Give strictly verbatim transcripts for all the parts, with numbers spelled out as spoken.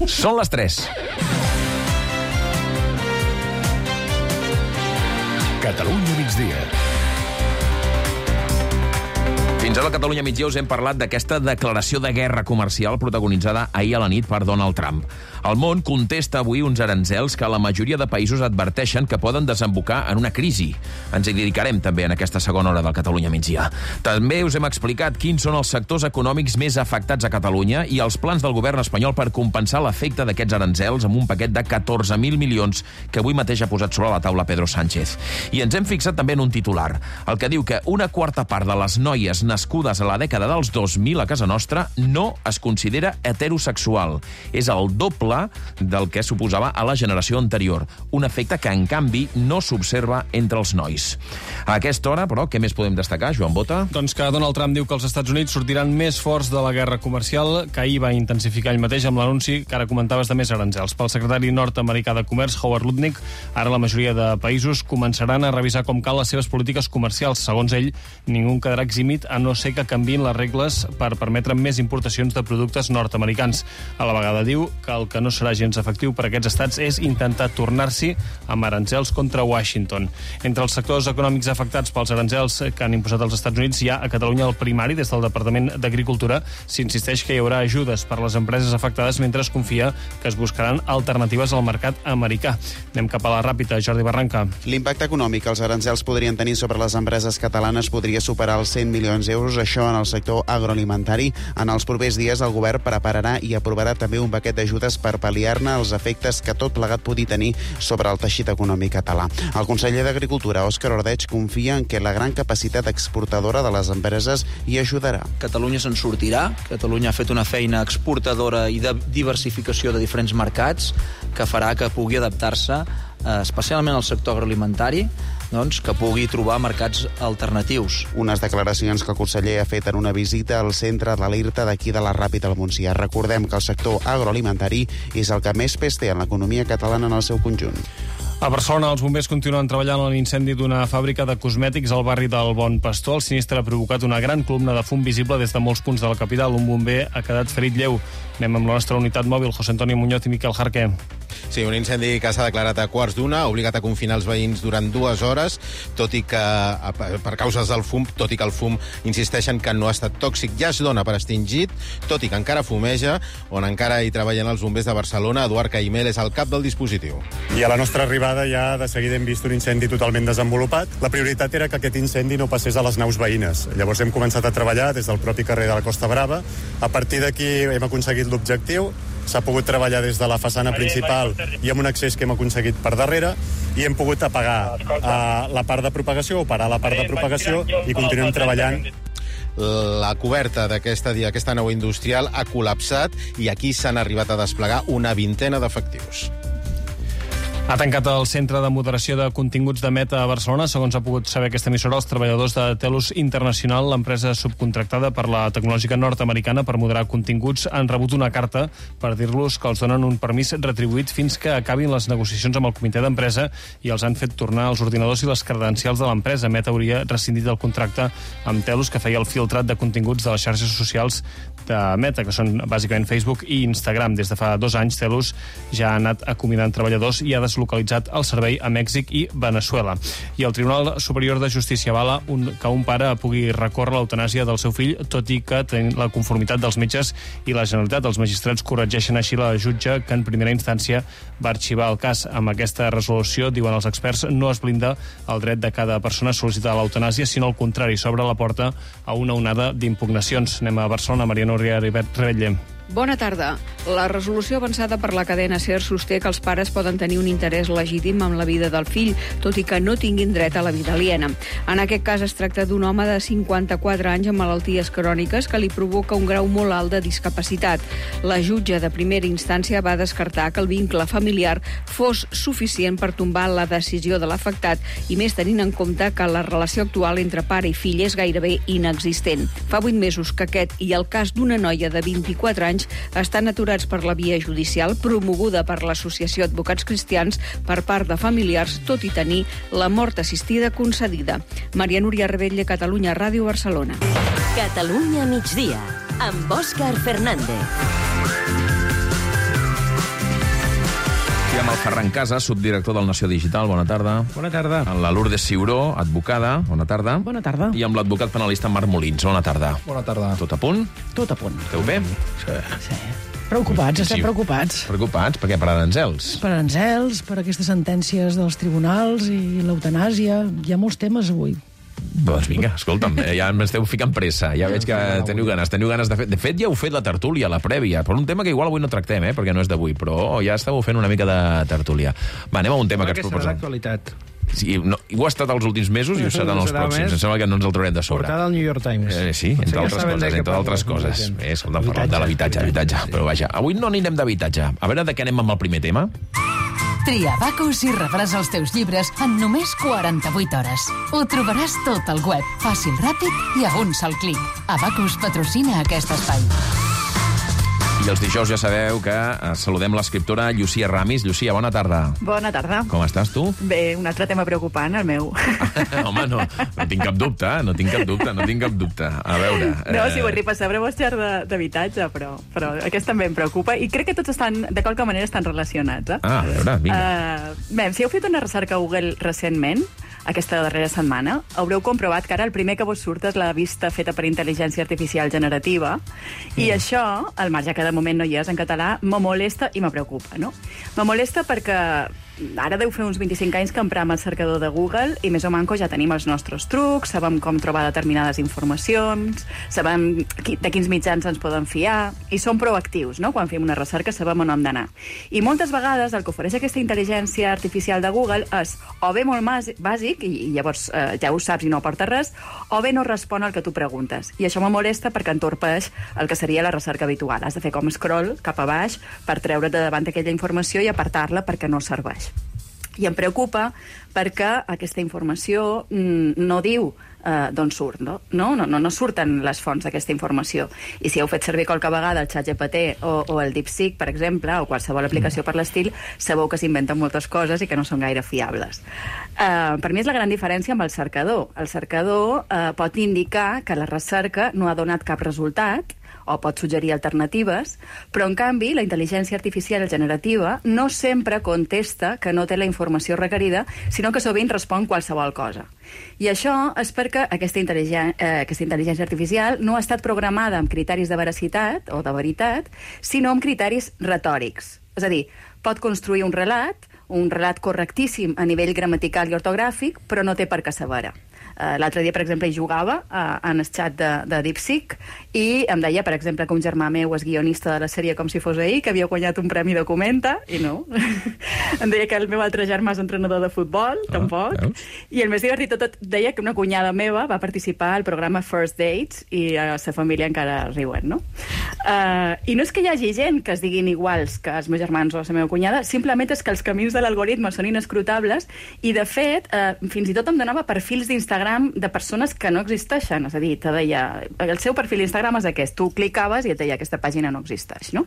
Són les tres. Catalunya migdia. Fins ara a Catalunya migdia us hem parlat d'aquesta declaració de guerra comercial protagonitzada ahir a la nit per Donald Trump. El món contesta avui uns aranzels que la majoria de països adverteixen que poden desembocar en una crisi. Ens hi dedicarem també en aquesta segona hora del Catalunya migdia. També us hem explicat quins són els sectors econòmics més afectats a Catalunya i els plans del govern espanyol per compensar l'efecte d'aquests aranzels amb un paquet de catorze mil milions que avui mateix ha posat sobre la taula Pedro Sánchez. I ens hem fixat també en un titular, el que diu que una quarta part de les noies nascudes a la dècada dels dos mil a casa nostra no es considera heterosexual. És el doble del que suposava a la generació anterior. Un efecte que, en canvi, no s'observa entre els nois. A aquesta hora, però, què més podem destacar, Joan Bota? Doncs que Donald Trump diu que els Estats Units sortiran més forts de la guerra comercial, que ahir va intensificar ell mateix amb l'anunci que ara comentaves de més aranzels. Pel secretari nord-americà de Comerç, Howard Lutnick, ara la majoria de països començaran a revisar com cal les seves polítiques comercials. Segons ell, ningú quedarà eximit a no ser que canviïn les regles per permetre més importacions de productes nord-americans. A la vegada diu que el que no serà gens efectiu per a aquests estats és intentar tornar-s'hi amb aranzels contra Washington. Entre els sectors econòmics afectats pels aranzels que han imposat els Estats Units hi ha a Catalunya el primari. Des del Departament d'Agricultura s'insisteix que hi haurà ajudes per a les empreses afectades mentre es confia que es buscaran alternatives al mercat americà. Anem cap a la ràpida, Jordi Barranca. L'impacte econòmic que els aranzels podrien tenir sobre les empreses catalanes podria superar els cent milions d'euros, això en el sector agroalimentari. En els propers dies el govern prepararà i aprovarà també un paquet d'ajudes per pal·liar-ne els efectes que tot plegat pugui tenir sobre el teixit econòmic català. El conseller d'Agricultura, Òscar Ordeig, confia en que la gran capacitat exportadora de les empreses hi ajudarà. Catalunya se'n sortirà. Catalunya ha fet una feina exportadora i de diversificació de diferents mercats que farà que pugui adaptar-se, especialment al sector agroalimentari, doncs, que pugui trobar mercats alternatius. Unes declaracions que el conseller ha fet en una visita al centre de l'Irta d'aquí de la Ràpita al Montsià. Recordem que el sector agroalimentari és el que més pes té en l'economia catalana en el seu conjunt. A Barcelona, els bombers continuen treballant en l'incendi d'una fàbrica de cosmètics al barri del Bon Pastor. El sinistre ha provocat una gran columna de fum visible des de molts punts de la capital. Un bomber ha quedat ferit lleu. Anem amb la nostra unitat mòbil, José Antonio Muñoz i Miquel Jarqué. Sí, un incendi que s'ha declarat a quarts d'una, ha obligat a confinar els veïns durant dues hores, tot i que, per causes del fum, tot i que el fum insisteixen que no ha estat tòxic, ja es dona per extingit, tot i que encara fumeja, on encara hi treballen els bombers de Barcelona. Eduard Caimel és el cap del dispositiu. I a la nostra arribada ja de seguida hem vist un incendi totalment desenvolupat. La prioritat era que aquest incendi no passés a les naus veïnes. Llavors hem començat a treballar des del propi carrer de la Costa Brava. A partir d'aquí hem aconseguit l'objectiu. S'ha pogut treballar des de la façana principal i amb un accés que hem aconseguit per darrere i hem pogut apagar uh, la part de propagació o parar la part de propagació i continuem treballant. La coberta d'aquesta d'aquesta nau industrial ha col·lapsat i aquí s'han arribat a desplegar una vintena d'efectius. Ha tancat el Centre de Moderació de Continguts de Meta a Barcelona. Segons ha pogut saber aquesta emissora, els treballadors de Telus International, l'empresa subcontractada per la tecnològica nord-americana per moderar continguts, han rebut una carta per dir-los que els donen un permís retribuït fins que acabin les negociacions amb el comitè d'empresa i els han fet tornar els ordinadors i les credencials de l'empresa. Meta hauria rescindit el contracte amb Telus, que feia el filtrat de continguts de les xarxes socials de Meta, que són bàsicament Facebook i Instagram. Des de fa dos anys, Telus ja ha anat acomiadant treballadors i ha deslocalitzat el servei a Mèxic i Veneçuela. I el Tribunal Superior de Justícia avala un, que un pare pugui recórrer l'eutanàsia del seu fill, tot i que tenint la conformitat dels metges i la Generalitat. Els magistrats corregeixen així la jutge que en primera instància va arxivar el cas. Amb aquesta resolució, diuen els experts, no es blinda el dret de cada persona a sol·licitar l'eutanàsia, sinó al contrari, s'obre la porta a una onada d'impugnacions. Anem a Barcelona, Mariano Rebetlle. Bona tarda. La resolució avançada per la cadena SER sosté que els pares poden tenir un interès legítim en la vida del fill, tot i que no tinguin dret a la vida aliena. En aquest cas es tracta d'un home de cinquanta-quatre anys amb malalties cròniques que li provoca un grau molt alt de discapacitat. La jutge de primera instància va descartar que el vincle familiar fos suficient per tombar la decisió de l'afectat, i més tenint en compte que la relació actual entre pare i fill és gairebé inexistent. Fa vuit mesos que aquest i el cas d'una noia de vint-i-quatre anys estan aturats per la via judicial promoguda per l'Associació Advocats Cristians per part de familiars, tot i tenir la mort assistida concedida. Maria Núria Rebetlle, Catalunya Ràdio, Barcelona. Catalunya migdia, amb Òscar Fernández. Ferran Casas, subdirector del Nació Digital. Bona tarda. Bona tarda. Amb la Lourdes Ciuró, advocada. Bona tarda. Bona tarda. I amb l'advocat penalista Marc Molins. Bona tarda. Bona tarda. Tot a punt? Tot a punt. Esteu bé? Sí. sí. Preocupats, estem Sí. preocupats. Preocupats? Per què? Per aranzels? Per aranzels, per aquestes sentències dels tribunals i l'eutanàsia. Hi ha molts temes avui. Doncs vinga, escolta'm, eh, ja m'esteu ficant pressa. Ja veig que teniu ganes. Teniu ganes de fer... De fet, ja heu fet la tertúlia, la prèvia, per un tema que igual avui no tractem, eh, perquè no és d'avui, però ja esteu fent una mica de tertúlia. Va, anem a un tema que ens serà proposem. l'actualitat. Sí, no, ho ha estat els últims mesos i ho serà en els Serà pròxims. més. Em sembla que no ens el traurem de sobre. Portada al New York Times. Eh, sí, Potser entre ja altres saben de coses, què entre altres parlo, coses. gent. Eh, escolta, parlem de l'habitatge, habitatge. Però vaja, avui no anirem d'habitatge. A veure de què anem amb el primer tema. Tria Abacus i rebràs els teus llibres en només quaranta-vuit hores. Ho trobaràs tot al web, fàcil, ràpid i a un sol clic. Abacus patrocina aquest espai. I els dijous ja sabeu que eh, saludem l'escriptora Llucia Ramis. Llucia, bona tarda. Bona tarda. Com estàs, tu? Bé, un altre tema preocupant, el meu. Home, no, no tinc cap dubte, no tinc cap dubte, no tinc cap dubte. A veure... No, si vull repassar sobre vostè d'habitatge, però, però aquest també em preocupa i crec que tots estan, de qualque manera, estan relacionats. Eh? Ah, a veure, vinga. Uh, bé, si heu fet una recerca a Google recentment, aquesta darrera setmana, haureu comprovat que ara el primer que vos surt és la vista feta per intel·ligència artificial generativa i mm. això, al marge que de moment no hi és en català, me molesta i me preocupa, no? Me molesta perquè ara deu fer uns vint-i-cinc anys que emprem el cercador de Google i més o manco ja tenim els nostres trucs, sabem com trobar determinades informacions, sabem qui, de quins mitjans ens poden fiar i som proactius, no? Quan fem una recerca sabem on hem d'anar. I moltes vegades el que ofereix aquesta intel·ligència artificial de Google és o bé molt bàsic i, i llavors eh, ja ho saps i no aporta res, o bé no respon al que tu preguntes. I això me molesta perquè entorpeix el que seria la recerca habitual. Has de fer com scroll cap a baix per treure't de davant aquella informació i apartar-la perquè no serveix. I em preocupa perquè aquesta informació mm, no diu eh, d'on surt, no? No, no, no surten les fonts d'aquesta informació. I si heu fet servir qualque vegada el ChatGPT o, o el DeepSeek, per exemple, o qualsevol aplicació per l'estil, sabeu que s'inventen moltes coses i que no són gaire fiables. Eh, per mi és la gran diferència amb el cercador. El cercador eh, pot indicar que la recerca no ha donat cap resultat, o pot suggerir alternatives, però en canvi la intel·ligència artificial generativa no sempre contesta que no té la informació requerida, sinó que sovint respon qualsevol cosa. I això és perquè aquesta, intel·ligència, eh, aquesta intel·ligència artificial no ha estat programada amb criteris de veracitat o de veritat, sinó amb criteris retòrics. És a dir, pot construir un relat, un relat correctíssim a nivell gramatical i ortogràfic, però no té per què saber-ho. Uh, L'altre dia, per exemple, hi jugava uh, en el xat de, de DeepSeek i em deia, per exemple, que un germà meu és guionista de la sèrie Com si fos ahir, que havia guanyat un premi Documenta, i no. Em deia que el meu altre germà és entrenador de futbol, ah, tampoc. Veus? I el més divertit tot deia que una cunyada meva va participar al programa First Dates i a la seva família encara riuen, no? Uh, I no és que hi hagi gent que es diguin iguals que els meus germans o la meva cunyada, simplement és que els camins de l'algoritme són inescrutables i, de fet, uh, fins i tot em donava perfils d'Instagram de persones que no existeixen. És a dir, te deia, el seu perfil d'Instagram és aquest, tu clicaves i et deia aquesta pàgina no existeix, no?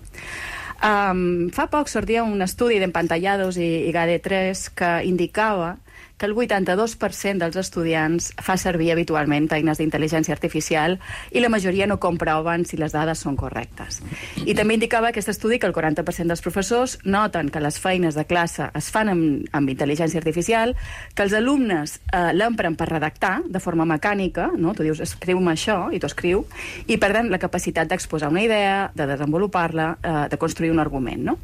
Um, fa poc sortia un estudi d'Empantallados i, i G A D E tres que indicava que el vuitanta-dos per cent dels estudiants fa servir habitualment eines d'intel·ligència artificial i la majoria no comproven si les dades són correctes. I també indicava aquest estudi que el quaranta per cent dels professors noten que les feines de classe es fan amb, amb intel·ligència artificial, que els alumnes eh, l'empren per redactar de forma mecànica, no? Tu dius, escriu-me això, i tu escriu, i perden la capacitat d'exposar una idea, de desenvolupar-la, eh, de construir un argument, no?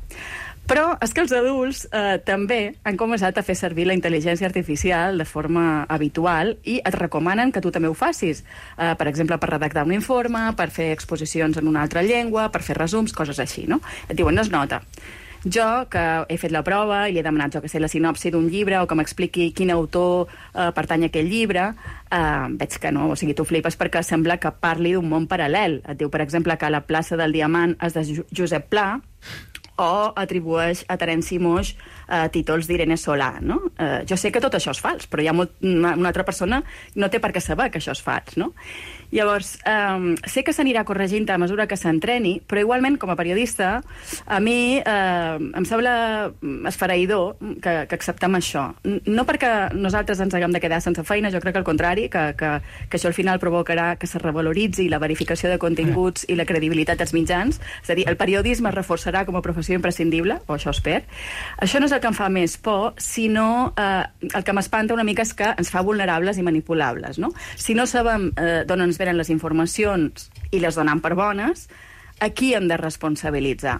Però és que els adults eh, també han començat a fer servir la intel·ligència artificial de forma habitual i et recomanen que tu també ho facis. Eh, per exemple, per redactar un informe, per fer exposicions en una altra llengua, per fer resums, coses així, no? Et diuen, no es nota. Jo, que he fet la prova i li he demanat, jo que sé, la sinopsi d'un llibre o que m'expliqui quin autor eh, pertany a aquell llibre, eh, veig que no, o sigui, tu flipes perquè sembla que parli d'un món paral·lel. Et diu, per exemple, que la plaça del Diamant és de Josep Pla, o atribueix a Terenci Moix eh, títols d'Irene Solà, no? Eh, jo sé que tot això és fals, però hi ha molt, una, una altra persona no té per què saber que això és fals, no? Llavors, eh, sé que s'anirà corregint a mesura que s'entreni, però igualment, com a periodista, a mi eh, em sembla esfereïdor que, que acceptem això. No perquè nosaltres ens haguem de quedar sense feina, jo crec que al contrari, que, que, que això al final provocarà que se revaloritzi la verificació de continguts i la credibilitat dels mitjans, és a dir, el periodisme es reforçarà com a professió informació imprescindible, o això espero. Això no és el que em fa més por, sinó eh, el que m'espanta una mica és que ens fa vulnerables i manipulables, no? Si no sabem eh, d'on ens venen les informacions i les donem per bones, a qui hem de responsabilitzar?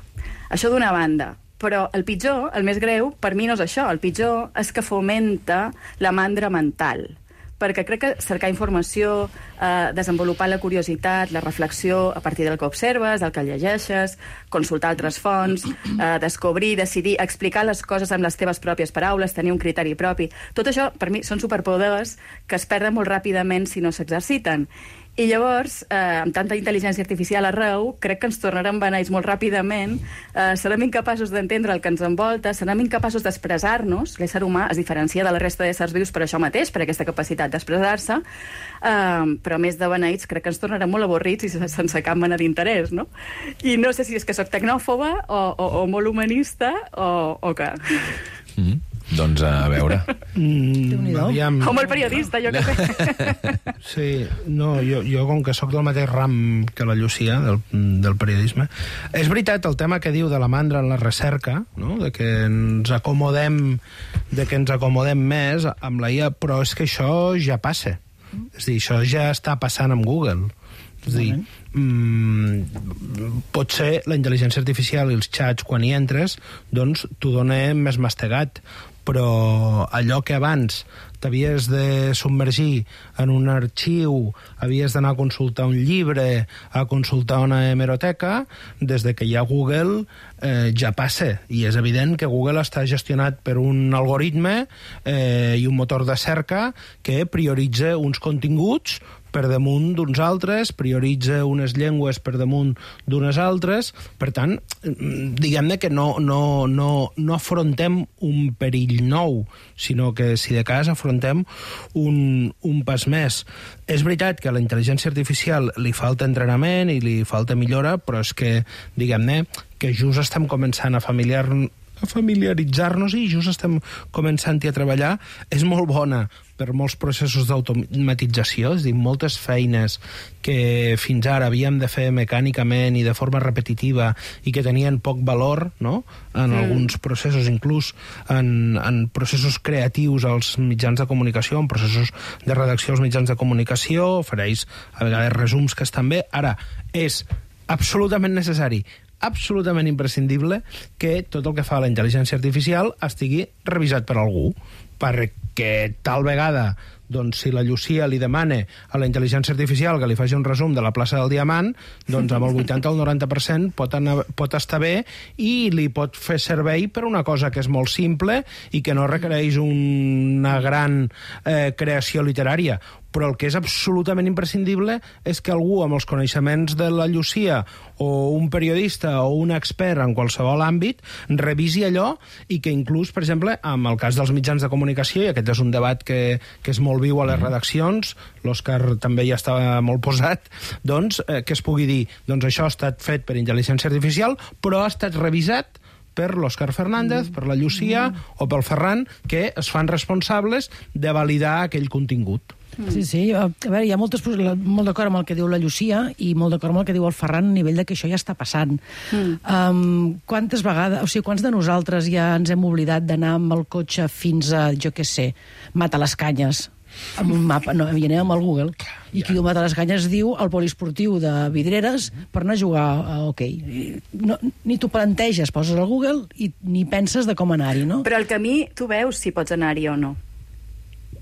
Això d'una banda. Però el pitjor, el més greu, per mi no és això. El pitjor és que fomenta la mandra mental. Perquè crec que cercar informació, eh, desenvolupar la curiositat, la reflexió a partir del que observes, del que llegeixes, consultar altres fonts, eh, descobrir, decidir, explicar les coses amb les teves pròpies paraules, tenir un criteri propi. Tot això, per mi, són superpoders que es perden molt ràpidament si no s'exerciten. I llavors, eh, amb tanta intel·ligència artificial arreu, crec que ens tornarem beneits molt ràpidament, eh, serem incapaços d'entendre el que ens envolta, serem incapaços d'expressar-nos. L'ésser humà es diferencia de la resta d'éssers vius per això mateix, per aquesta capacitat d'expressar-se, eh, però més de beneits crec que ens tornarem molt avorrits i sense cap mena d'interès, no? I no sé si és que sóc tecnòfoba o, o, o molt humanista o, o què. Mm. Doncs a veure. Mm, aviam... O molt periodista, jo que sé. Sí, no, jo, jo com que sóc del mateix ram que la Llucia, del, del periodisme, és veritat el tema que diu de la mandra en la recerca, no? De que ens acomodem de que ens acomodem més amb la I A, però és que això ja passa. És a dir, això ja està passant amb Google. És a dir, mm, potser la intel·ligència artificial i els xats, quan hi entres, doncs t'ho dona més mastegat, però allò que abans t'havies de submergir en un arxiu, havies d'anar a consultar un llibre, a consultar una hemeroteca, des de que hi ha Google eh, ja passa, i és evident que Google està gestionat per un algoritme eh, i un motor de cerca que prioritza uns continguts per damunt d'uns altres, prioritza unes llengües per damunt d'unes altres. Per tant, diguem-ne que no, no, no, no afrontem un perill nou, sinó que, si de cas, afrontem un, un pas més. És veritat que a la intel·ligència artificial li falta entrenament i li falta millora, però és que, diguem-ne, que just estem començant a familiar a familiaritzar-nos i just estem començant-hi a treballar. És molt bona per molts processos d'automatització, és a dir, moltes feines que fins ara havíem de fer mecànicament i de forma repetitiva i que tenien poc valor, no?, en mm. alguns processos, inclús en, en processos creatius als mitjans de comunicació, en processos de redacció als mitjans de comunicació, ofereix a vegades resums que estan bé. Ara, és absolutament necessari, absolutament imprescindible que tot el que fa la intel·ligència artificial estigui revisat per algú, perquè tal vegada, doncs, si la Llucia li demana a la intel·ligència artificial que li faci un resum de la plaça del Diamant, doncs amb el vuitanta o el noranta per cent pot, anar, pot estar bé i li pot fer servei per una cosa que és molt simple i que no requereix una gran eh, creació literària. Però el que és absolutament imprescindible és que algú amb els coneixements de la Llucia o un periodista o un expert en qualsevol àmbit revisi allò i que inclús, per exemple, amb el cas dels mitjans de comunicació, i aquest és un debat que, que és molt viu a les redaccions, l'Òscar també ja està molt posat, doncs eh, que es pugui dir, doncs això ha estat fet per intel·ligència artificial, però ha estat revisat per l'Òscar Fernández, per la Llucia o pel Ferran, que es fan responsables de validar aquell contingut. Sí, sí, a veure, hi ha moltes, molt d'acord amb el que diu la Llucia i molt d'acord amb el que diu el Ferran a nivell de que això ja està passant. Mm. Um, quantes vegades, o sigui, quants de nosaltres ja ens hem oblidat d'anar amb el cotxe fins a, jo què sé, Matalascanyes, amb un mapa, no, i anem amb el Google, i qui diu Matalascanyes diu el poliesportiu de Vidreres per anar a jugar a hoquei. No, ni t'ho planteges, poses al Google i ni penses de com anar-hi, no? Però el camí, tu veus si pots anar-hi o no.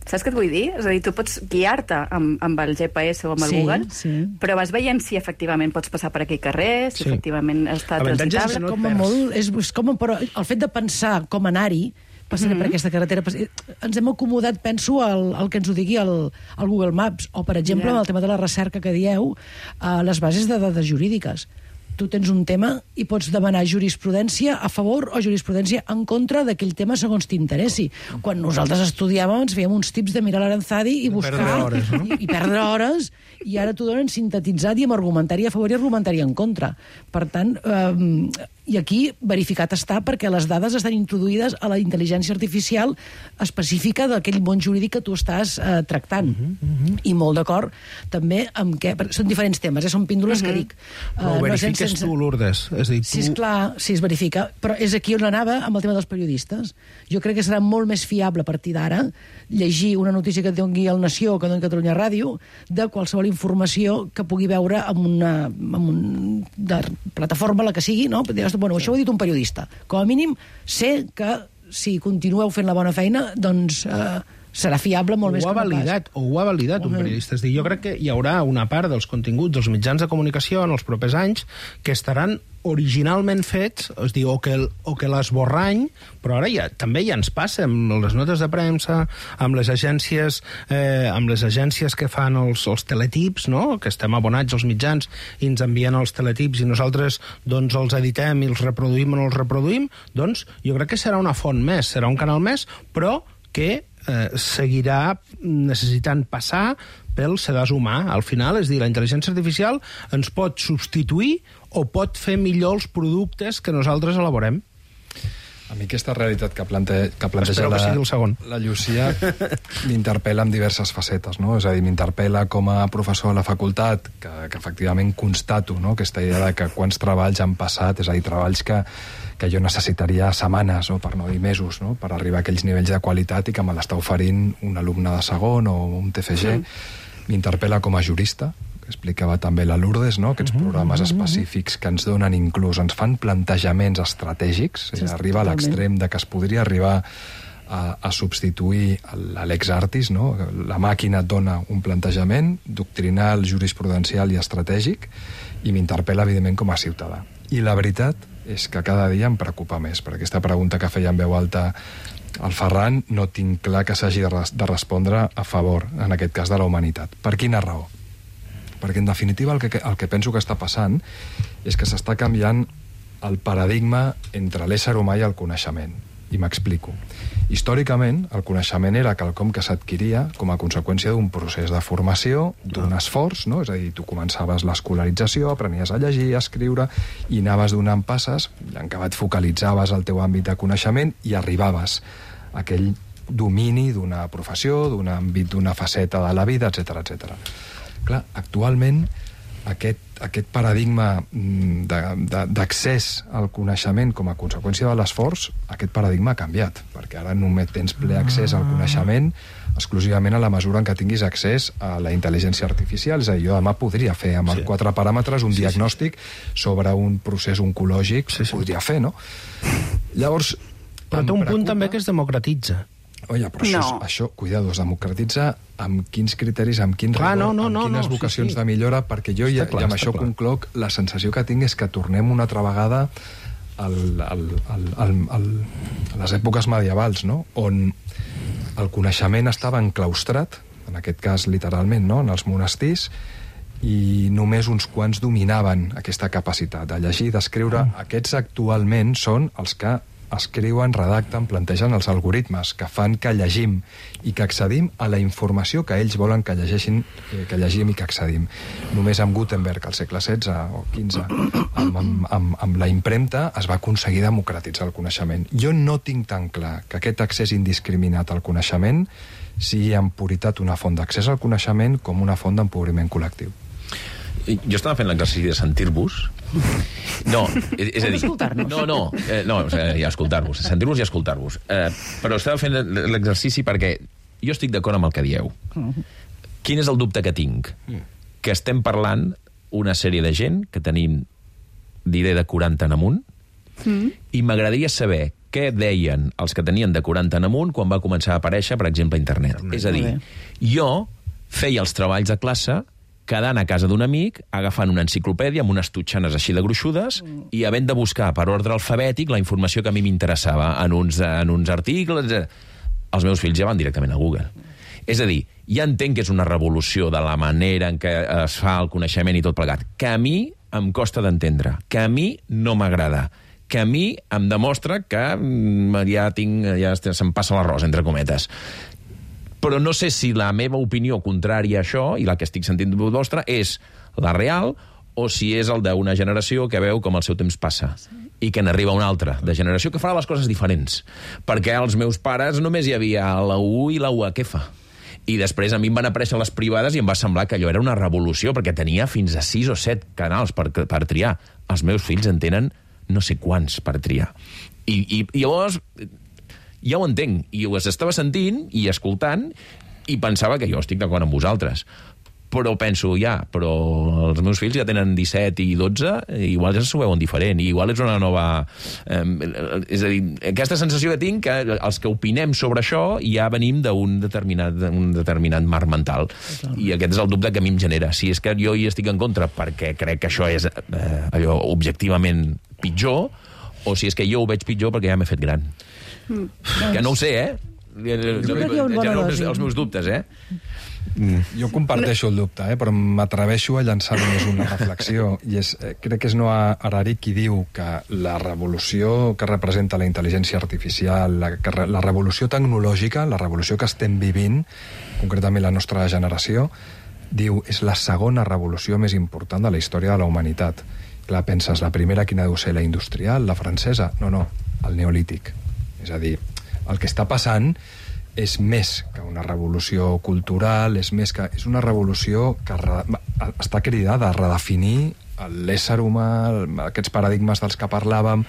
Saps què et vull dir? És a dir, tu pots guiar-te amb, amb el G P S o amb el sí, Google, sí. però vas veient si efectivament pots passar per aquell carrer, si sí. efectivament està transitable. No com a molt, és, és com, però el fet de pensar com anar-hi, passaré mm-hmm. per aquesta carretera, passaré, ens hem acomodat, penso, al, al que ens ho digui el, el Google Maps, o, per exemple, yeah. amb el tema de la recerca que dieu, a les bases de dades jurídiques. Tu tens un tema i pots demanar jurisprudència a favor o jurisprudència en contra d'aquell tema segons t'interessi. Quan nosaltres estudiàvem ens fèiem uns tips de mirar l'Aranzadi i buscar... Perdre hores, no? I, i perdre hores, i ara t'ho donen sintetitzat i amb argumentari a favor i argumentari en contra. Per tant, eh, I aquí verificat està perquè les dades estan introduïdes a la intel·ligència artificial específica d'aquell món jurídic que tu estàs eh, tractant. Uh -huh, uh -huh. I molt d'acord també amb què... Són diferents temes, eh? Són píndoles uh -huh. que dic. Però ho uh, verifiques no sense... tu, Lourdes? És dir, tu... Sí, esclar, sí, es verifica. Però és aquí on anava amb el tema dels periodistes. Jo crec que serà molt més fiable a partir d'ara llegir una notícia que doni el Nació o que doni Catalunya Ràdio de qualsevol informació que pugui veure en una, en un, de plataforma, la que sigui, no? Bueno, això ho ha dit un periodista. Com a mínim, sé que si continueu fent la bona feina, doncs eh, serà fiable molt ho més que ha no validat, pas. O ho ha validat uh -huh. un periodista. És dir, jo crec que hi haurà una part dels continguts dels mitjans de comunicació en els propers anys que estaran originalment fets, és dir, o que, el, o que l'esborrany, però ara ja, també ja ens passa amb les notes de premsa, amb les agències, eh, amb les agències que fan els, els teletips, no? Que estem abonats als mitjans i ens envien els teletips i nosaltres doncs els editem i els reproduïm o no els reproduïm, doncs jo crec que serà una font més, serà un canal més, però que eh, seguirà necessitant passar pel sedàs humà. Al final, és dir, la intel·ligència artificial ens pot substituir o pot fer millor els productes que nosaltres elaborem. A mi aquesta realitat que, plante, que planteja que sigui el segon. la, la Llucia m'interpel·la en diverses facetes, no? És a dir, m'interpel·la com a professor a la facultat, que, que efectivament constato, no?, aquesta idea de que quants treballs han passat, és a dir, treballs que, que jo necessitaria setmanes, o per no dir mesos, no?, per arribar a aquells nivells de qualitat i que me l'està oferint un alumne de segon o un T F G. Mm. M'interpel·la com a jurista, que explicava també la Lourdes, no? Aquests programes específics que ens donen inclús, ens fan plantejaments estratègics, sí, arriba a l'extrem de que es podria arribar a, a substituir l'Alex Artis, no? La màquina et dona un plantejament doctrinal, jurisprudencial i estratègic, i m'interpel·la, evidentment, com a ciutadà. I la veritat és que cada dia em preocupa més, per aquesta pregunta que feia en veu alta el Ferran, no tinc clar que s'hagi de, res de respondre a favor, en aquest cas, de la humanitat. Per quina raó? Perquè, en definitiva, el que, el que penso que està passant és que s'està canviant el paradigma entre l'ésser humà i el coneixement. I m'explico. Històricament, el coneixement era quelcom que s'adquiria com a conseqüència d'un procés de formació, d'un esforç, no? És a dir, tu començaves l'escolarització, aprenies a llegir, a escriure, i anaves donant passes, i en acabat focalitzaves el teu àmbit de coneixement i arribaves a aquell domini d'una professió, d'un àmbit, d'una faceta de la vida, etcètera, etcètera. Clar, actualment aquest, aquest paradigma d'accés al coneixement com a conseqüència de l'esforç, aquest paradigma ha canviat, perquè ara només tens ple accés al coneixement exclusivament a la mesura en què tinguis accés a la intel·ligència artificial. És a dir, jo demà podria fer amb sí. quatre paràmetres un sí, diagnòstic sí. sobre un procés oncològic, sí, sí. podria fer, no? Llavors, però té un punt també que es democratitza. Oye, però això, no. això, cuidado, es democratitza amb quins criteris, amb quin rigor, no, no, amb no, quines no, vocacions sí, sí. de millora, perquè jo ja, clar, i amb això clar. concloc, la sensació que tinc és que tornem una altra vegada al, al, al, al, al, a les èpoques medievals, no?, on el coneixement estava enclaustrat, en aquest cas literalment, no?, en els monestirs, i només uns quants dominaven aquesta capacitat de llegir, d'escriure. Mm. Aquests actualment són els que escriuen, redacten, plantegen els algoritmes que fan que llegim i que accedim a la informació que ells volen que llegeixin, que llegim i que accedim. Només amb Gutenberg, al segle setze o quinze, amb, amb, amb, amb la impremta, es va aconseguir democratitzar el coneixement. Jo no tinc tan clar que aquest accés indiscriminat al coneixement sigui en puritat una font d'accés al coneixement com una font d'empobriment col·lectiu. Jo estava fent l'exercici de sentir-vos. No, és, és a dir... No, no, eh, no, o sigui, ja escoltar-vos. Sentir-vos i escoltar-vos. Eh, però estava fent l'exercici perquè jo estic d'acord amb el que dieu. Quin és el dubte que tinc? Que estem parlant una sèrie de gent que tenim d'idea de quaranta en amunt mm. i m'agradaria saber què deien els que tenien de quaranta en amunt quan va començar a aparèixer, per exemple, internet. Mm. És a dir, jo feia els treballs de classe quedant a casa d'un amic, agafant una enciclopèdia amb unes tutxanes així de gruixudes mm. i havent de buscar per ordre alfabètic la informació que a mi m'interessava en uns, en uns articles. Els meus fills ja van directament a Google. És a dir, ja entenc que és una revolució de la manera en què es fa el coneixement i tot plegat, que a mi em costa d'entendre, que a mi no m'agrada, que a mi em demostra que ja tinc, ja se'm passa l'arròs, entre cometes. Però no sé si la meva opinió contrària a això, i la que estic sentint vostra, és la real o si és el d'una generació que veu com el seu temps passa. i que n'arriba una altra de generació que farà les coses diferents. Perquè als meus pares només hi havia la U i la U H F. I després a mi em van aparèixer les privades i em va semblar que allò era una revolució, perquè tenia fins a sis o set canals per, per triar. Els meus fills en tenen no sé quants per triar. I, i, i llavors ja ho entenc, i ho estava sentint i escoltant, i pensava que jo estic d'acord amb vosaltres. Però penso, ja, però els meus fills ja tenen disset i dotze, i igual ja s'ho veuen diferent, i igual és una nova... Eh, és a dir, aquesta sensació que tinc, que els que opinem sobre això ja venim d'un determinat, un determinat marc mental. I aquest és el dubte que a mi em genera. Si és que jo hi estic en contra perquè crec que això és eh, allò objectivament pitjor, o si és que jo ho veig pitjor perquè ja m'he fet gran. Mm. Que no ho sé, eh? Genero els meus dubtes, eh? Mm. Jo comparteixo el dubte, eh? Però m'atreveixo a llançar només una reflexió, i és, eh, crec que és Noah Harari qui diu que la revolució que representa la intel·ligència artificial, la, que, la revolució tecnològica, la revolució que estem vivint, concretament la nostra generació, diu, és la segona revolució més important de la història de la humanitat. Clar, penses, la primera quina deu ser, la industrial, la francesa? No, no, el neolític. És a dir, el que està passant és més que una revolució cultural, és més que... és una revolució que re, està cridada a redefinir l'ésser humà, aquests paradigmes dels que parlàvem.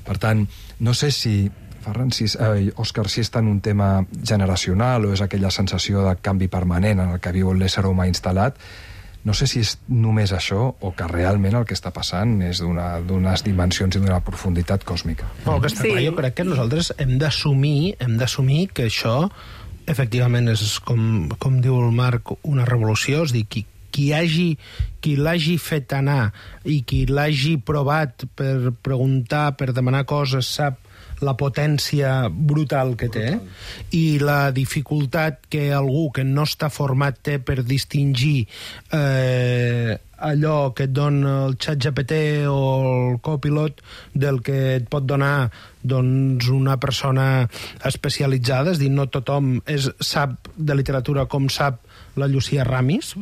Per tant, no sé si, Ferran, si, eh, Òscar, si és tant un tema generacional o és aquella sensació de canvi permanent en el que viu l'ésser humà instal·lat. No sé si és només això o que realment el que està passant és d'unes dimensions i d'una profunditat còsmica. No, que està sí. clar, jo crec que nosaltres hem d'assumir hem d'assumir que això efectivament és, com, com diu el Marc, una revolució, és a dir, qui, qui hagi qui l'hagi fet anar i qui l'hagi provat per preguntar, per demanar coses, sap la potència brutal que té i la dificultat que algú que no està format té per distingir eh, allò que et dona el ChatGPT o el Copilot del que et pot donar doncs, una persona especialitzada, és a dir, no tothom és, sap de literatura com sap la Llucia Ramis,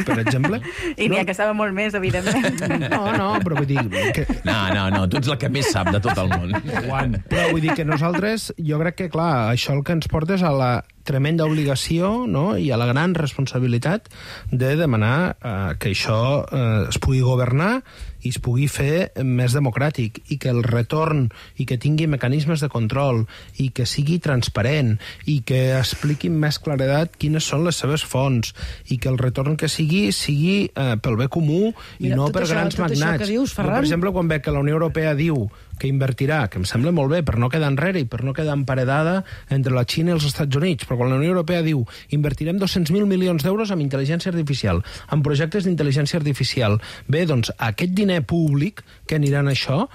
per exemple. I n'hi ha que saben molt més, evidentment. No, no, però vull dir... Que... No, no, no, tu ets la que més sap de tot el món. Juan. Però vull dir que nosaltres, jo crec que, clar, això el que ens porta és a la tremenda obligació, no?, i a la gran responsabilitat de demanar eh, que això eh, es pugui governar i es pugui fer més democràtic i que el retorn i que tingui mecanismes de control i que sigui transparent i que expliqui amb més claredat quines són les seves fonts i que el retorn que sigui sigui eh, pel bé comú i Mira, no per això, grans magnats. Dius, no, per exemple, quan ve que la Unió Europea diu que invertirà, que em sembla molt bé per no quedar enrere i per no quedar emparedada entre la Xina i els Estats Units, però quan la Unió Europea diu invertirem dos-cents mil milions d'euros en intel·ligència artificial, en projectes d'intel·ligència artificial, bé, doncs aquest diner públic que anirà en això,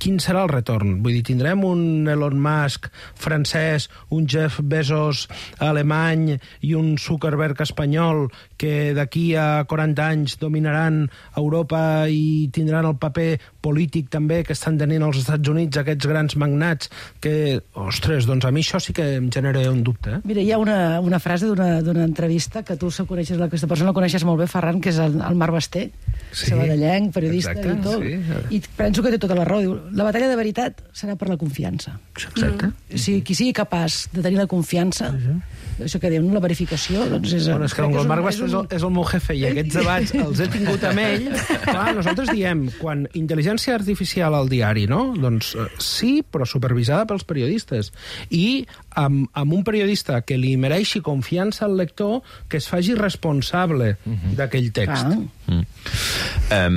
quin serà el retorn? Vull dir, tindrem un Elon Musk francès, un Jeff Bezos alemany i un Zuckerberg espanyol que d'aquí a quaranta anys dominaran Europa i tindran el paper polític també que estan tenint els Estats Units, aquests grans magnats, que, ostres, doncs a mi això sí que em genera un dubte. Eh? Mira, hi ha una, una frase d'una entrevista que tu coneixes, aquesta persona la coneixes molt bé, Ferran, que és el, el Marc Basté, sí, sabadellenc, periodista exacte, i tot. Sí. I penso que té tota la raó. Diu, la batalla de veritat serà per la confiança. Exacte. Mm. Si qui sigui capaç de tenir la confiança, sí, sí. això que diu, la verificació, doncs és... Bueno, és que el Marc Basté és, un... és el meu jefe i aquests debats els he tingut amb ell. Clar, nosaltres diem, quan intel·ligència artificial al diari, no? Doncs sí, però supervisada pels periodistes. I amb, amb un periodista que li mereixi confiança al lector, que es faci responsable uh-huh. d'aquell text. Ah. Mm. Um,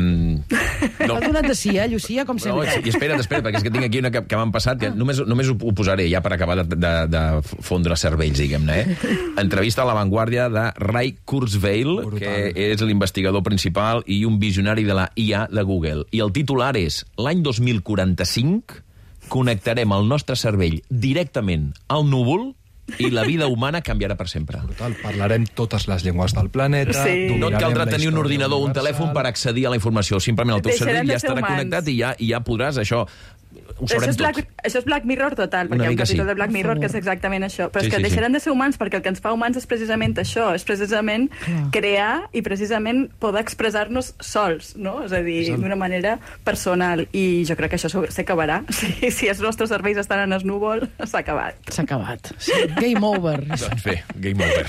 no. Ha donat de sí, eh, Llucia, com sempre. No, i espera't, espera't, perquè és que tinc aquí una que, que m'han passat, que només, només ho, ho posaré ja per acabar de, de, de fondre cervells, diguem-ne, eh? Entrevista a La Vanguardia de Ray Kurzweil, brutal, que és l'investigador principal i un visionari de la I A de Google. I el titular és: l'any dos mil quaranta-cinc connectarem el nostre cervell directament al núvol i la vida humana canviarà per sempre. Brutal. Parlarem totes les llengües del planeta. Sí. No et caldrà tenir un ordinador o un telèfon per accedir a la informació. Simplement el teu cervell ja estarà humans. connectat i ja, i ja podràs això ho sabrem això és Black, tot. Això és Black Mirror total, perquè Una hi ha un mica capítol sí. de Black Mirror que és exactament això. Però Sí, és que sí, deixarem sí. de ser humans, perquè el que ens fa humans és precisament això, és precisament crear i precisament poder expressar-nos sols, no? És a dir, d'una manera personal. I jo crec que això s'acabarà. Si, si els nostres serveis estan en el núvol, s'ha acabat. S'ha acabat. Sí. Game over. Doncs bé, game over.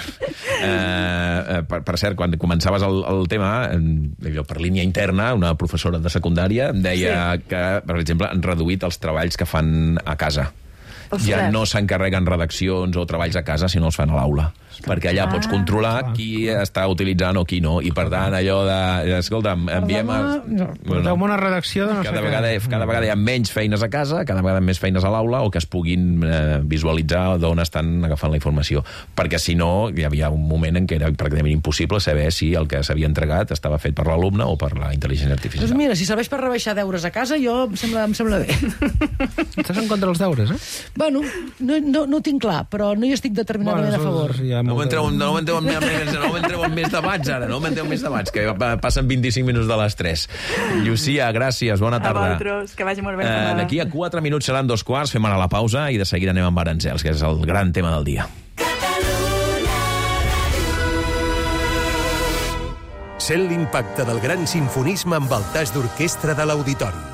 Uh, per, per cert, quan començaves el, el tema, allò, per línia interna, una professora de secundària em deia sí. que, per exemple, han reduït els treballs que fan a casa. Ostres. Ja no s'encarreguen redaccions o treballs a casa, sinó els fan a l'aula. Perquè allà Ah, pots controlar qui està utilitzant o qui no. I, per tant, allò de... Escolta, enviem... Els... Porteu-me una redacció de no cada sé vegada, què. cada vegada hi ha menys feines a casa, cada vegada més feines a l'aula, o que es puguin eh, visualitzar d'on estan agafant la informació. Perquè, si no, hi havia un moment en què era pràcticament impossible saber si el que s'havia entregat estava fet per l'alumne o per la intel·ligència artificial. Doncs mira, si serveix per rebaixar deures a casa, jo em sembla, em sembla bé. Estàs en contra dels deures, eh? Bueno, no, no, no ho tinc clar, però no hi estic determinadament Bueno, a favor. això ja No molt- m'entreu no m'entreu en, més, no m'entreu en més debats, ara. No m'entreu en més debats, que passen vint-i-cinc minuts de les tres. Llucia, gràcies, bona A tarda. vosaltres, que vagi molt bé. Eh, D'aquí a quatre minuts seran dos quarts, fem ara la pausa i de seguida anem amb Aranzels, que és el gran tema del dia. Sent l'impacte del gran sinfonisme amb el tas d'orquestra de l'Auditori.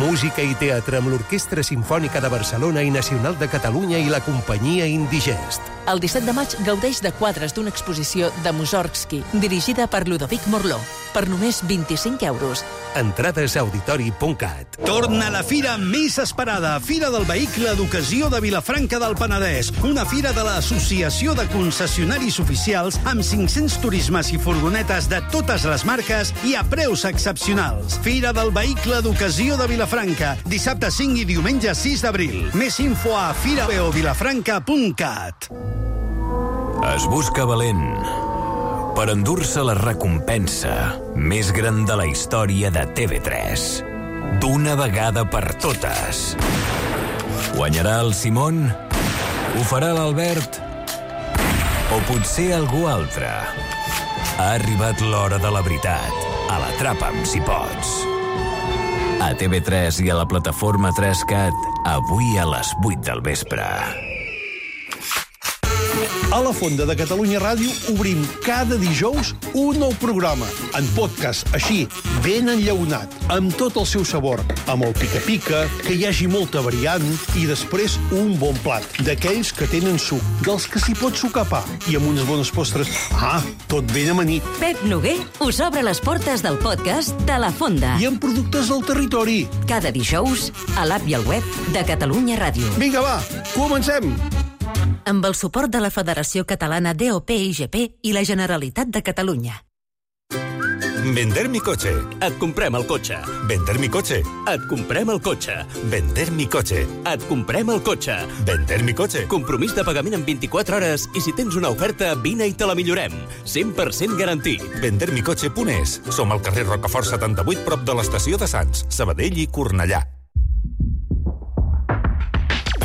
Música i teatre amb l'Orquestra Simfònica de Barcelona i Nacional de Catalunya i la companyia Indigest. El disset de maig gaudeix de quadres d'una exposició de Mussorgsky, dirigida per Ludovic Morló, per només vint-i-cinc euros. Entrades a auditori punt cat. Torna la fira més esperada, Fira del Vehicle d'Ocasió de Vilafranca del Penedès, una fira de l'Associació de Concessionaris Oficials amb cinc-cents turismes i furgonetes de totes les marques i a preus excepcionals. Fira del Vehicle d'Ocasió de Vilafranca, dissabte cinc i diumenge sis d'abril. Més info a fira veo vilafranca punt cat. Es busca valent per endur-se la recompensa més gran de la història de T V tres. D'una vegada per totes. Guanyarà el Simon? Ho farà l'Albert? O potser algú altre? Ha arribat l'hora de la veritat. A l'Atrapa'm si pots. A T V tres i a la plataforma tres cat, avui a les vuit del vespre. A la Fonda de Catalunya Ràdio obrim cada dijous un nou programa, en podcast, així, ben enllaunat, amb tot el seu sabor, amb el pica-pica, que hi hagi molta variant, i després un bon plat, d'aquells que tenen suc, dels que s'hi pot sucar pa, i amb unes bones postres. Ah, tot ben amanit. Pep Noguer us obre les portes del podcast de La Fonda. I amb productes del territori. Cada dijous, a l'app i al web de Catalunya Ràdio. Vinga, va, comencem! Amb el suport de la Federació Catalana D O P I G P i la Generalitat de Catalunya. Vender mi cotxe. Et comprem el cotxe. Vender mi cotxe. Et comprem el cotxe. Vender mi cotxe. Et comprem el cotxe. Vender mi cotxe. Compromís de pagament en vint-i-quatre hores i si tens una oferta, vine i te la millorem. cent per cent garantit. vender mi cotxe punt es. Som al carrer Rocafort setanta-vuit, prop de l'estació de Sants, Sabadell i Cornellà.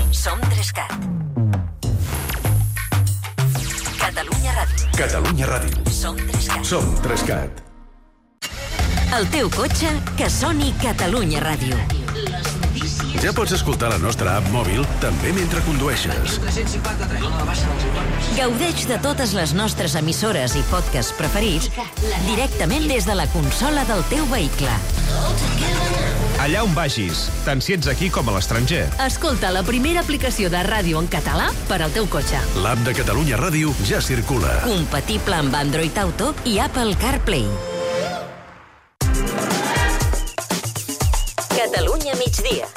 Som tres cat. Catalunya Ràdio. Catalunya Ràdio. Som tres cat. Som tres cat. El teu cotxe, que soni Catalunya Ràdio. Ja pots escoltar la nostra app mòbil també mentre condueixes. Gaudeix de totes les nostres emissores i podcasts preferits directament des de la consola del teu vehicle. Allà on vagis, tant si ets aquí com a l'estranger. Escolta la primera aplicació de ràdio en català per al teu cotxe. L'app de Catalunya Ràdio ja circula. Compatible amb Android Auto i Apple CarPlay. Catalunya migdia.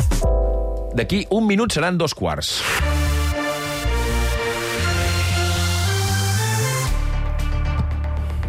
D'aquí un minut seran dos quarts.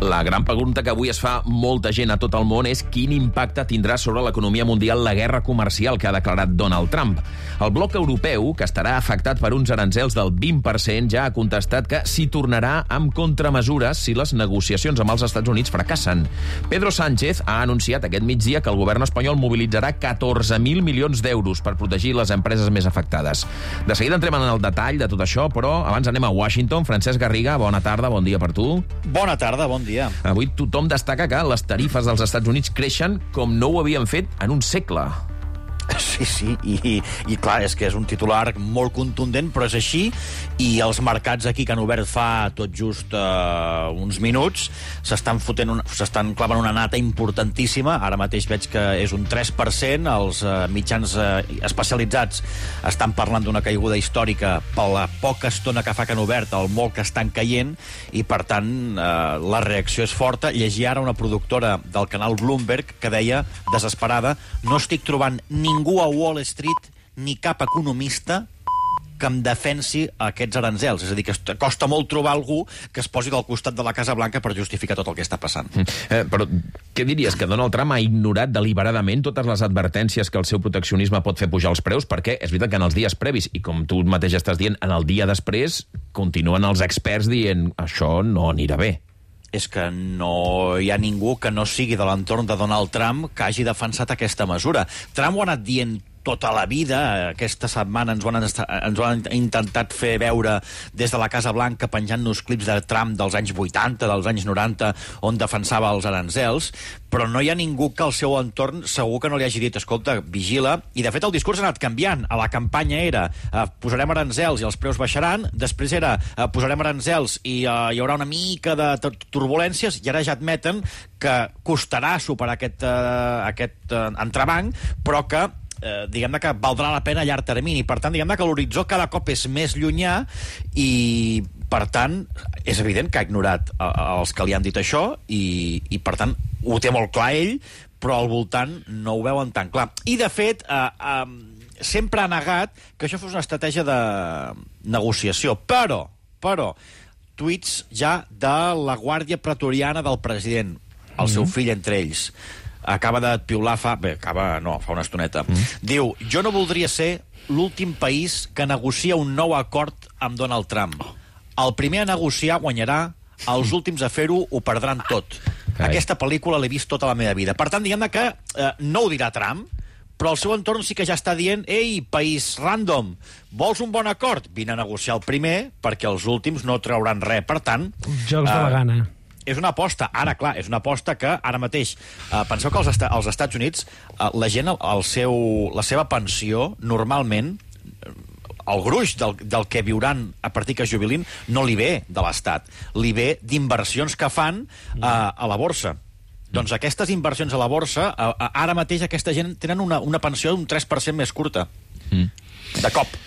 La gran pregunta que avui es fa molta gent a tot el món és quin impacte tindrà sobre l'economia mundial la guerra comercial que ha declarat Donald Trump. El bloc europeu, que estarà afectat per uns aranzels del vint per cent, ja ha contestat que s'hi tornarà amb contramesures si les negociacions amb els Estats Units fracassen. Pedro Sánchez ha anunciat aquest migdia que el govern espanyol mobilitzarà catorze mil milions d'euros per protegir les empreses més afectades. De seguida entrem en el detall de tot això, però abans anem a Washington. Francesc Garriga, bona tarda, bon dia per tu. Bona tarda, bon dia. Avui tothom destaca que les tarifes dels Estats Units creixen com no ho havien fet en un segle. Sí, sí, i, i clar, és que és un titular molt contundent, però és així, i els mercats aquí que han obert fa tot just uh, uns minuts s'estan fotent un, s'estan clavant una nata importantíssima. Ara mateix veig que és un tres per cent, els uh, mitjans uh, especialitzats estan parlant d'una caiguda històrica per la poca estona que fa que han obert, el molt que estan caient, i per tant uh, la reacció és forta. Llegia ara una productora del canal Bloomberg que deia, desesperada, no estic trobant ningú a Wall Street ni cap economista que em defensi aquests aranzels. És a dir, que costa molt trobar algú que es posi al costat de la Casa Blanca per justificar tot el que està passant. Eh, però què diries? Que Donald Trump ha ignorat deliberadament totes les advertències que el seu proteccionisme pot fer pujar els preus? Perquè és veritat que en els dies previs, i com tu mateix estàs dient, en el dia després, continuen els experts dient això no anirà bé. És que no hi ha ningú que no sigui de l'entorn de Donald Trump que hagi defensat aquesta mesura. Trump ho ha anat dient tota la vida. Aquesta setmana ens ho, han, ens ho han intentat fer veure des de la Casa Blanca, penjant-nos clips de Trump dels anys vuitanta, dels anys noranta, on defensava els aranzels, però no hi ha ningú que al seu entorn segur que no li hagi dit, escolta, vigila. I de fet el discurs ha anat canviant. A la campanya era eh, posarem aranzels i els preus baixaran, després era eh, posarem aranzels i eh, hi haurà una mica de turbulències, i ara ja admeten que costarà superar aquest, eh, aquest eh, entrebanc, però que Eh, diguem-ne que valdrà la pena a llarg termini. Per tant, diguem-ne que l'horitzó cada cop és més llunyà i, per tant, és evident que ha ignorat eh, els que li han dit això i, i, per tant, ho té molt clar ell, però al voltant no ho veuen tan clar. I, de fet, eh, eh, sempre ha negat que això fos una estratègia de negociació. Però, però, tuits ja de la guàrdia pretoriana del president, el seu Mm-hmm. fill entre ells. Acaba de piular fa... Bé, acaba... No, fa una estoneta. Mm. Diu, jo no voldria ser l'últim país que negocia un nou acord amb Donald Trump. El primer a negociar guanyarà, els últims a fer-ho ho perdran tot. Carai. Aquesta pel·lícula l'he vist tota la meva vida. Per tant, diguem-ne que eh, no ho dirà Trump, però el seu entorn sí que ja està dient ei, país random, vols un bon acord? Vine a negociar el primer, perquè els últims no trauran res. Per tant... Jocs de la gana. És una aposta, ara, clar, és una aposta que ara mateix... Eh, penseu que als, est als Estats Units eh, la gent, el seu, la seva pensió, normalment, el gruix del, del que viuran a partir que es jubilin, no li ve de l'Estat. Li ve d'inversions que fan eh, a la borsa. Doncs aquestes inversions a la borsa, eh, ara mateix aquesta gent tenen una, una pensió d'un tres per cent més curta. Mm. De cop.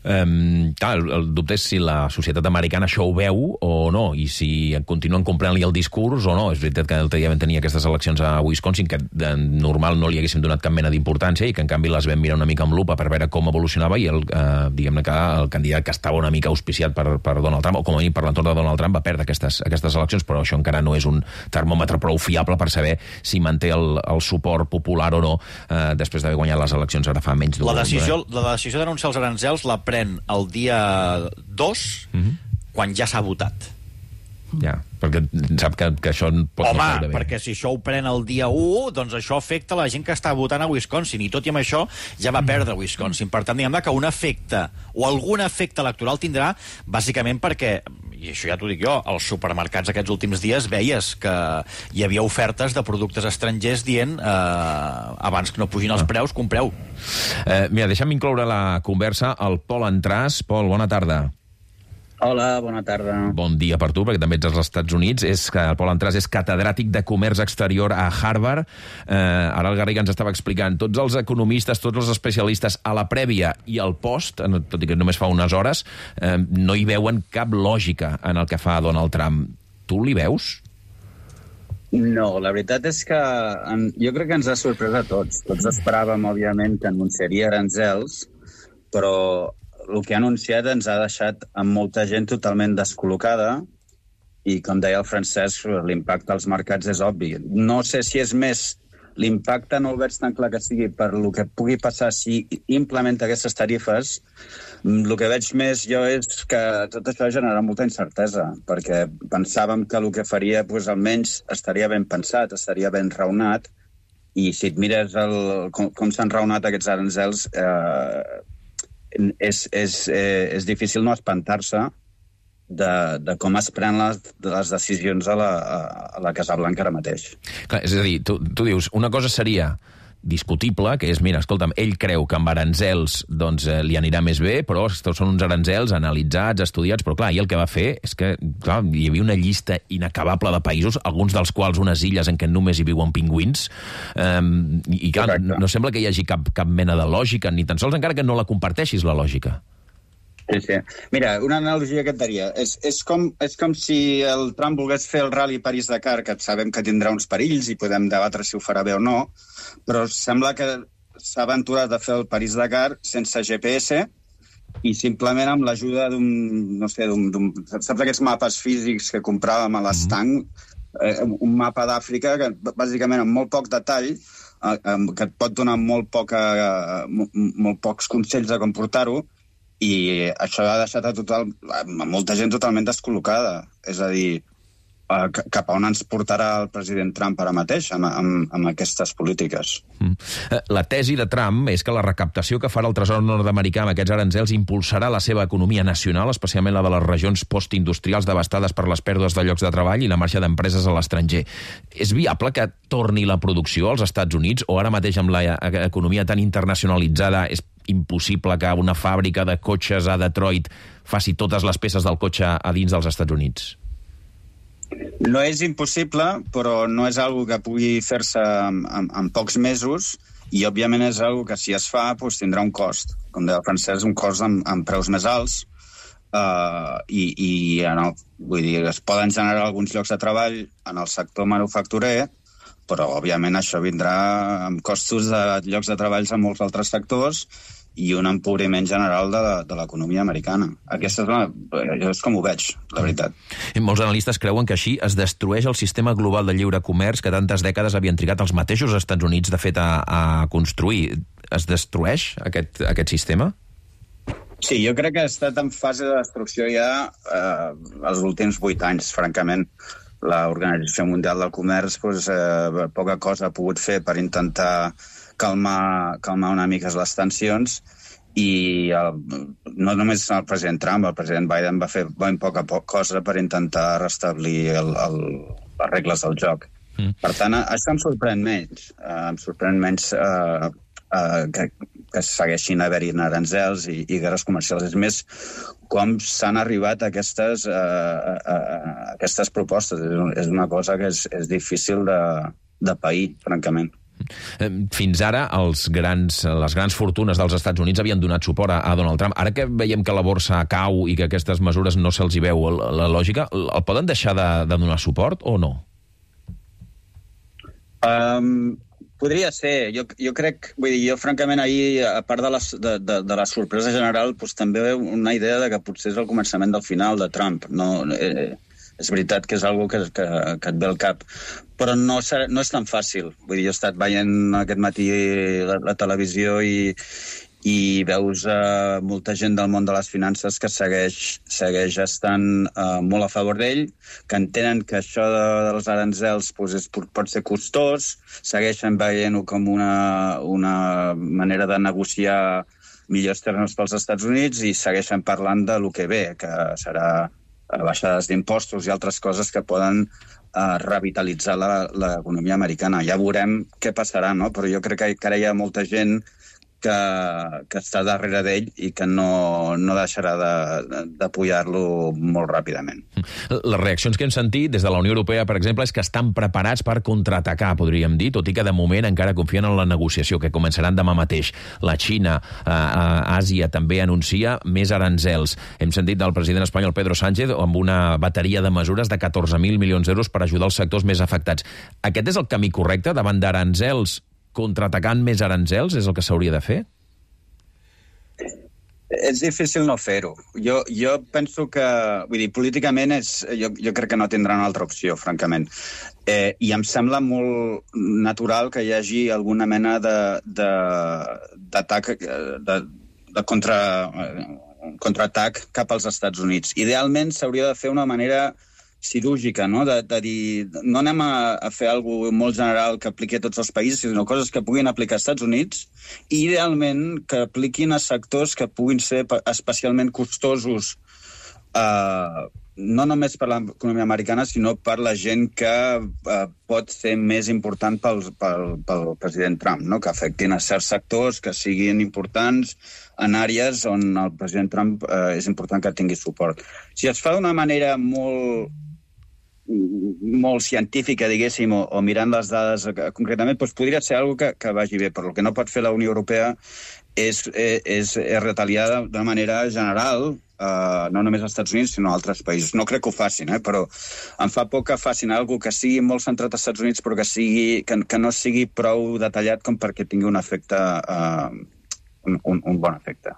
Um, clar, el, el dubte és si la societat americana això ho veu o no, i si continuen comprant-li el discurs o no. És veritat que l'altre dia vam tenir aquestes eleccions a Wisconsin que de normal no li haguéssim donat cap mena d'importància i que en canvi les vam mirar una mica amb lupa per veure com evolucionava, i el, eh, diguem-ne que el candidat que estava una mica auspiciat per, per Donald Trump, o com a mínim per l'entorn de Donald Trump, va perdre aquestes, aquestes eleccions, però això encara no és un termòmetre prou fiable per saber si manté el, el suport popular o no eh, després d'haver guanyat les eleccions ara fa menys d'un... La decisió, la decisió d'anunciar els aranzels la pren el dia dos, mm-hmm. quan ja s'ha votat. Ja, perquè sap que, que això pot Home, no caure bé. perquè si això ho pren el dia u, doncs això afecta la gent que està votant a Wisconsin, i tot i amb això ja va perdre Wisconsin. Per tant, diguem-ne que un efecte, o algun efecte electoral tindrà, bàsicament perquè, i això ja t'ho dic jo, als supermercats aquests últims dies veies que hi havia ofertes de productes estrangers dient eh, abans que no pugin els preus, compreu. Eh, mira, deixa'm incloure la conversa al Pol Entràs. Pol, bona tarda. Hola, bona tarda. Bon dia per tu, perquè també ets als Estats Units. És que el Pol Entràs és catedràtic de Comerç Exterior a Harvard. Eh, ara el Garriga ens estava explicant, tots els economistes, tots els especialistes a la prèvia i al post, tot i que només fa unes hores, eh, no hi veuen cap lògica en el que fa Donald Trump. Tu li veus? No, la veritat és que en, jo crec que ens ha sorprès a tots. Tots esperàvem, òbviament, que anunciaria aranzels, però el que ha anunciat ens ha deixat amb molta gent totalment descol·locada i, com deia el Francesc, l'impacte als mercats és obvi. No sé si és més l'impacte, no ho veig tan clar que sigui per el que pugui passar si implementa aquestes tarifes. El que veig més jo és que tot això genera molta incertesa, perquè pensàvem que el que faria, doncs, almenys estaria ben pensat, estaria ben raonat, i si et mires el, com, com s'han raonat aquests aranzels, eh, és, és, eh, és difícil no espantar-se de, de com es prenen les, les decisions a la, a la Casa Blanca ara mateix. Clar, és a dir, tu, tu dius, una cosa seria discutible, que és, mira, escolta'm, ell creu que amb aranzels doncs, eh, li anirà més bé, però són uns aranzels analitzats, estudiats, però clar, i el que va fer és que clar, hi havia una llista inacabable de països, alguns dels quals unes illes en què només hi viuen pingüins, eh, i clar, no, no sembla que hi hagi cap, cap mena de lògica, ni tan sols encara que no la comparteixis, la lògica. Sí, sí. Mira, una analogia que et daria. És, és, com, és com si el Trump volgués fer el Rally París-Dakar, que sabem que tindrà uns perills i podem debatre si ho farà bé o no, però sembla que s'ha aventurat a fer el París-Dakar sense G P S i simplement amb l'ajuda d'un, no sé, d'un... Saps aquests mapes físics que compràvem a l'estanc? Eh, un mapa d'Àfrica que, bàsicament, amb molt poc detall, eh, que et pot donar molt, poca, eh, molt pocs consells de com portar-ho, i això ha deixat a, total, a molta gent totalment descol·locada. És a dir, cap a on ens portarà el president Trump ara mateix amb, amb, amb aquestes polítiques. Mm. La tesi de Trump és que la recaptació que farà el Tresor nord-americà amb aquests aranzels impulsarà la seva economia nacional, especialment la de les regions postindustrials devastades per les pèrdues de llocs de treball i la marxa d'empreses a l'estranger. És viable que torni la producció als Estats Units o ara mateix amb l'economia tan internacionalitzada és impossible que una fàbrica de cotxes a Detroit faci totes les peces del cotxe a dins dels Estats Units? No és impossible, però no és algo que pugui fer-se en, en, en pocs mesos i, òbviament, és algo que, si es fa, doncs, tindrà un cost. Com deia el Francesc, un cost amb, amb preus més alts uh, i, i no, vull dir, es poden generar alguns llocs de treball en el sector manufacturer, però, òbviament, això vindrà amb costos de llocs de treballs en molts altres sectors i un empobriment general de, de l'economia americana. Aquesta és, una, jo és com ho veig, la veritat. I molts analistes creuen que així es destrueix el sistema global de lliure comerç que tantes dècades havien trigat els mateixos Estats Units, de fet, a, a construir. Es destrueix aquest, aquest sistema? Sí, jo crec que ha estat en fase de destrucció ja eh, els últims vuit anys, francament. L'Organització Mundial del Comerç doncs, eh, poca cosa ha pogut fer per intentar calmar, calmar una mica les tensions i el, no només el president Trump, el president Biden va fer ben poca poc cosa per intentar restablir el, el, les regles del joc. Mm. Per tant, això em sorprèn menys. Eh, em sorprèn menys eh, eh, que, que segueixin haver-hi aranzels i, i guerres comercials. És més, com s'han arribat a aquestes, eh, a, a aquestes propostes. És una cosa que és, és difícil de, de pair, francament. Fins ara, els grans, les grans fortunes dels Estats Units havien donat suport a, a Donald Trump. Ara que veiem que la borsa cau i que aquestes mesures no se'ls hi veu la, la lògica, el poden deixar de, de donar suport o no? Um, podria ser. Jo, jo crec, vull dir, jo francament ahir, a part de la, de, de, de la sorpresa general, doncs, també veu una idea de que potser és el començament del final de Trump. No, eh, és veritat que és una cosa que, que, que et ve al cap, però no, no és tan fàcil. Vull dir, jo he estat veient aquest matí la, la televisió i, i veus uh, molta gent del món de les finances que segueix, segueix estant uh, molt a favor d'ell, que entenen que això de, dels aranzels pues, és, pot ser costós, segueixen veient-ho com una, una manera de negociar millors termes pels Estats Units i segueixen parlant de lo que ve, que serà baixades d'impostos i altres coses que poden uh, revitalitzar l'economia americana. Ja veurem què passarà, no? Però jo crec que encara hi ha molta gent que, que està darrere d'ell i que no, no deixarà d'apoyar-lo molt ràpidament. Les reaccions que hem sentit des de la Unió Europea, per exemple, és que estan preparats per contraatacar, podríem dir, tot i que de moment encara confien en la negociació, que començaran demà mateix. La Xina, eh, Àsia, també anuncia més aranzels. Hem sentit del president espanyol Pedro Sánchez amb una bateria de mesures de catorze mil milions d'euros per ajudar els sectors més afectats. Aquest és el camí correcte davant d'aranzels? Contraatacant més aranzels és el que s'hauria de fer? És difícil no fer-ho. Jo, jo penso que, vull dir, políticament és, jo, jo crec que no tindran altra opció, francament. Eh, I em sembla molt natural que hi hagi alguna mena d'atac, de, de, de contra, contraatac cap als Estats Units. Idealment s'hauria de fer d'una manera cirúrgica, no? De, de dir, no anem a, a fer alguna cosa molt general que apliqui a tots els països, sinó coses que puguin aplicar als Estats Units i, idealment, que apliquin a sectors que puguin ser especialment costosos eh, no només per l'economia americana, sinó per la gent que eh, pot ser més important pel, pel, pel president Trump, no? Que afectin a certs sectors, que siguin importants en àrees on el president Trump eh, és important que tingui suport. Si es fa d'una manera molt molt científica, diguéssim, o, o mirant les dades concretament, doncs podria ser una cosa que, que vagi bé, però el que no pot fer la Unió Europea és, és, és retaliar d'una manera general, eh, no només als Estats Units, sinó a altres països. No crec que ho facin, eh, però em fa por que facin alguna cosa que sigui molt centrat als Estats Units, però que, sigui, que, que no sigui prou detallat com perquè tingui un efecte, eh, un, un, un bon efecte.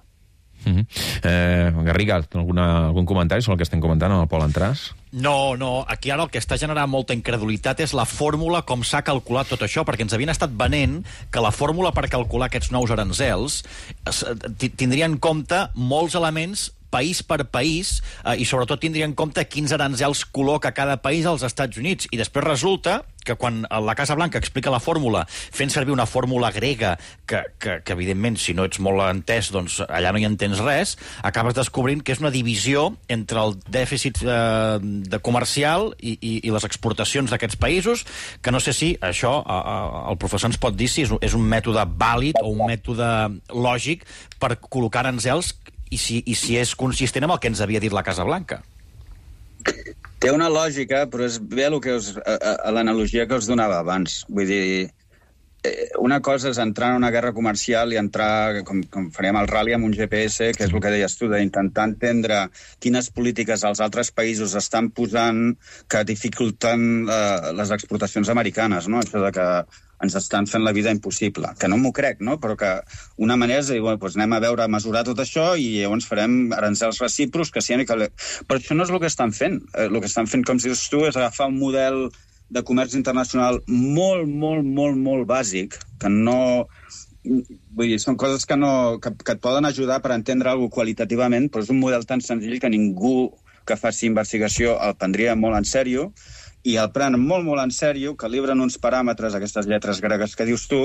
Uh-huh. eh, Garriga, alguna, algun comentari sobre el que estem comentant amb el Pol Entràs? No, no, aquí ara el que està generant molta incredulitat és la fórmula com s'ha calculat tot això, perquè ens havien estat venent que la fórmula per calcular aquests nous aranzels tindria en compte molts elements país per país, eh, i sobretot tindria en compte quins aranzels col·loca cada país als Estats Units. I després resulta que quan la Casa Blanca explica la fórmula fent servir una fórmula grega que, que, que evidentment, si no ets molt entès, doncs allà no hi entens res, acabes descobrint que és una divisió entre el dèficit eh, de comercial i, i, i les exportacions d'aquests països, que no sé si això a, a, el professor ens pot dir si és, és un mètode vàlid o un mètode lògic per col·locar aranzels i si, i si és consistent amb el que ens havia dit la Casa Blanca. Té una lògica, però és bé el que us, a, a l'analogia que us donava abans. Vull dir, una cosa és entrar en una guerra comercial i entrar, com, com farem el rally, amb un G P S, que és el que deies tu, d'intentar entendre quines polítiques els altres països estan posant que dificulten eh, les exportacions americanes, no? Això de que ens estan fent la vida impossible. Que no m'ho crec, no? Però que una manera és dir, bueno, doncs anem a veure, a mesurar tot això i llavors farem aranzels recíprocs que siguin... Que... Però això no és el que estan fent. El que estan fent, com dius tu, és agafar un model de comerç internacional molt, molt, molt, molt bàsic, que no... Vull dir, són coses que, no, que, que et poden ajudar per entendre alguna cosa qualitativament, però és un model tan senzill que ningú que faci investigació el prendria molt en sèrio, i el prenen molt, molt en sèrio, calibren uns paràmetres, aquestes lletres gregues que dius tu,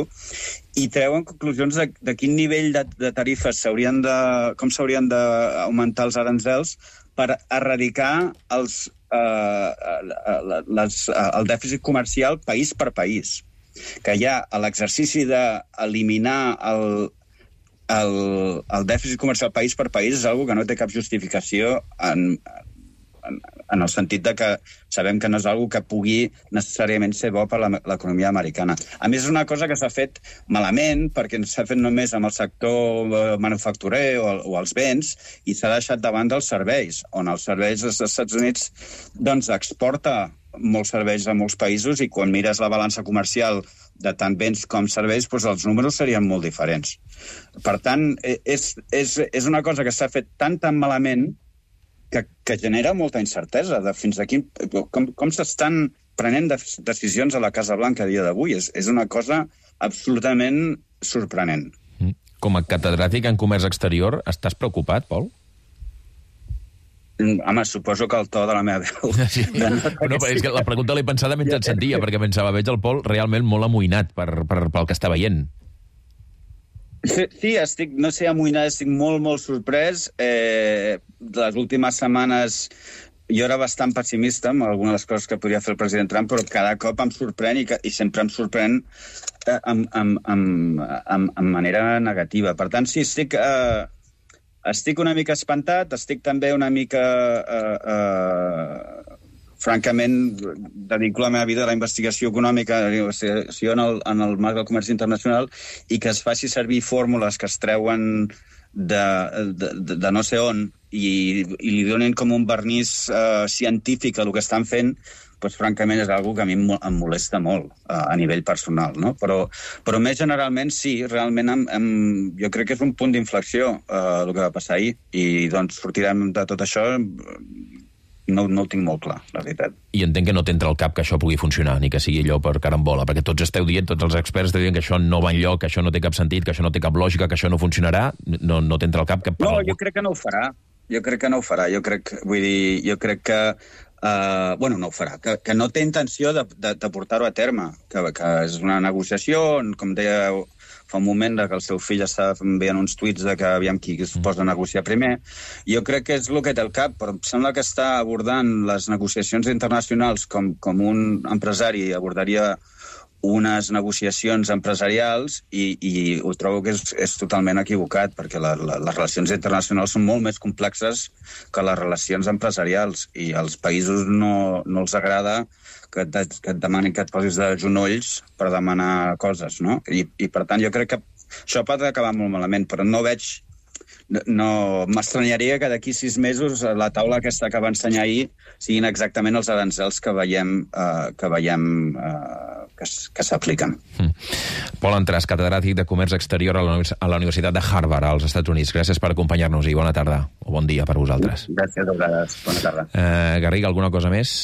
i treuen conclusions de, de quin nivell de, de tarifes s'haurien de... com s'haurien d'augmentar els aranzels per erradicar els, eh, les, el dèficit comercial país per país. Que hi ha l'exercici d'eliminar el, el, el dèficit comercial país per país és una cosa que no té cap justificació en... En, en el sentit de que sabem que no és una cosa que pugui necessàriament ser bo per l'economia americana. A més, és una cosa que s'ha fet malament, perquè s'ha fet només amb el sector manufacturer o, o els béns, i s'ha deixat de banda els serveis, on els serveis dels Estats Units doncs, exporta molts serveis a molts països, i quan mires la balança comercial de tant béns com serveis, doncs els números serien molt diferents. Per tant, és, és, és una cosa que s'ha fet tan, tan malament Que, que genera molta incertesa de fins a quin... Com, com s'estan prenent de, decisions a la Casa Blanca a dia d'avui. És, és una cosa absolutament sorprenent. Com a catedràtic en comerç exterior, estàs preocupat, Pol? Home, suposo que el to de la meva veu... Sí. No, però és que la pregunta l'he pensada mentre et sentia, perquè pensava, veig el Pol realment molt amoïnat per, per, pel que està veient. Sí, sí, estic, no sé, amoïnat, estic molt, molt sorprès. Eh, les últimes setmanes jo era bastant pessimista amb algunes de les coses que podria fer el president Trump, però cada cop em sorprèn i, que, i sempre em sorprèn eh, amb, amb, amb, amb, amb manera negativa. Per tant, sí, estic, eh, estic una mica espantat, estic també una mica... Eh, eh, francament, dedico la meva vida a la investigació econòmica, o sigui, en el, en el marc del comerç internacional, i que es faci servir fórmules que es treuen de, de, de, de no sé on i, i li donen com un vernís uh, científic a el que estan fent, doncs, francament, és una que a mi em molesta molt uh, a nivell personal, no? Però, però més generalment, sí, realment em, em, jo crec que és un punt d'inflexió uh, el que va passar ahir, i doncs sortirem de tot això... No, no ho tinc molt clar, la veritat. I entenc que no t'entra al cap que això pugui funcionar, ni que sigui allò per carambola, perquè tots esteu dient, tots els experts esteu dient que això no va enlloc, que això no té cap sentit, que això no té cap lògica, que això no funcionarà, no, no t'entra al cap que... No, jo crec que no ho farà. Jo crec que no ho farà. Jo crec, vull dir, jo crec que... Uh, bueno, no ho farà. Que, que no té intenció de, de, de portar-ho a terme, que, que és una negociació, com deia fa un moment que el seu fill estava enviant uns tuits de que aviam qui es posa a negociar primer. Jo crec que és el que té al cap, però em sembla que està abordant les negociacions internacionals com, com un empresari abordaria unes negociacions empresarials i, i ho trobo que és, és totalment equivocat, perquè la, la, les relacions internacionals són molt més complexes que les relacions empresarials i als països no, no els agrada que et, que et demanin que et posis de genolls per demanar coses, no? I, i per tant jo crec que això pot acabar molt malament, però no veig... No, m'estranyaria que d'aquí sis mesos la taula aquesta que va ensenyar ahir siguin exactament els arancels que veiem, eh, que, veiem eh, que, que s'apliquen. Mm. Pol Entràs, catedràtic de Comerç Exterior a la, a la Universitat de Harvard, als Estats Units. Gràcies per acompanyar-nos i bona tarda, o bon dia per vosaltres. Gràcies a vosaltres. Bona tarda. Eh, Garriga, alguna cosa més?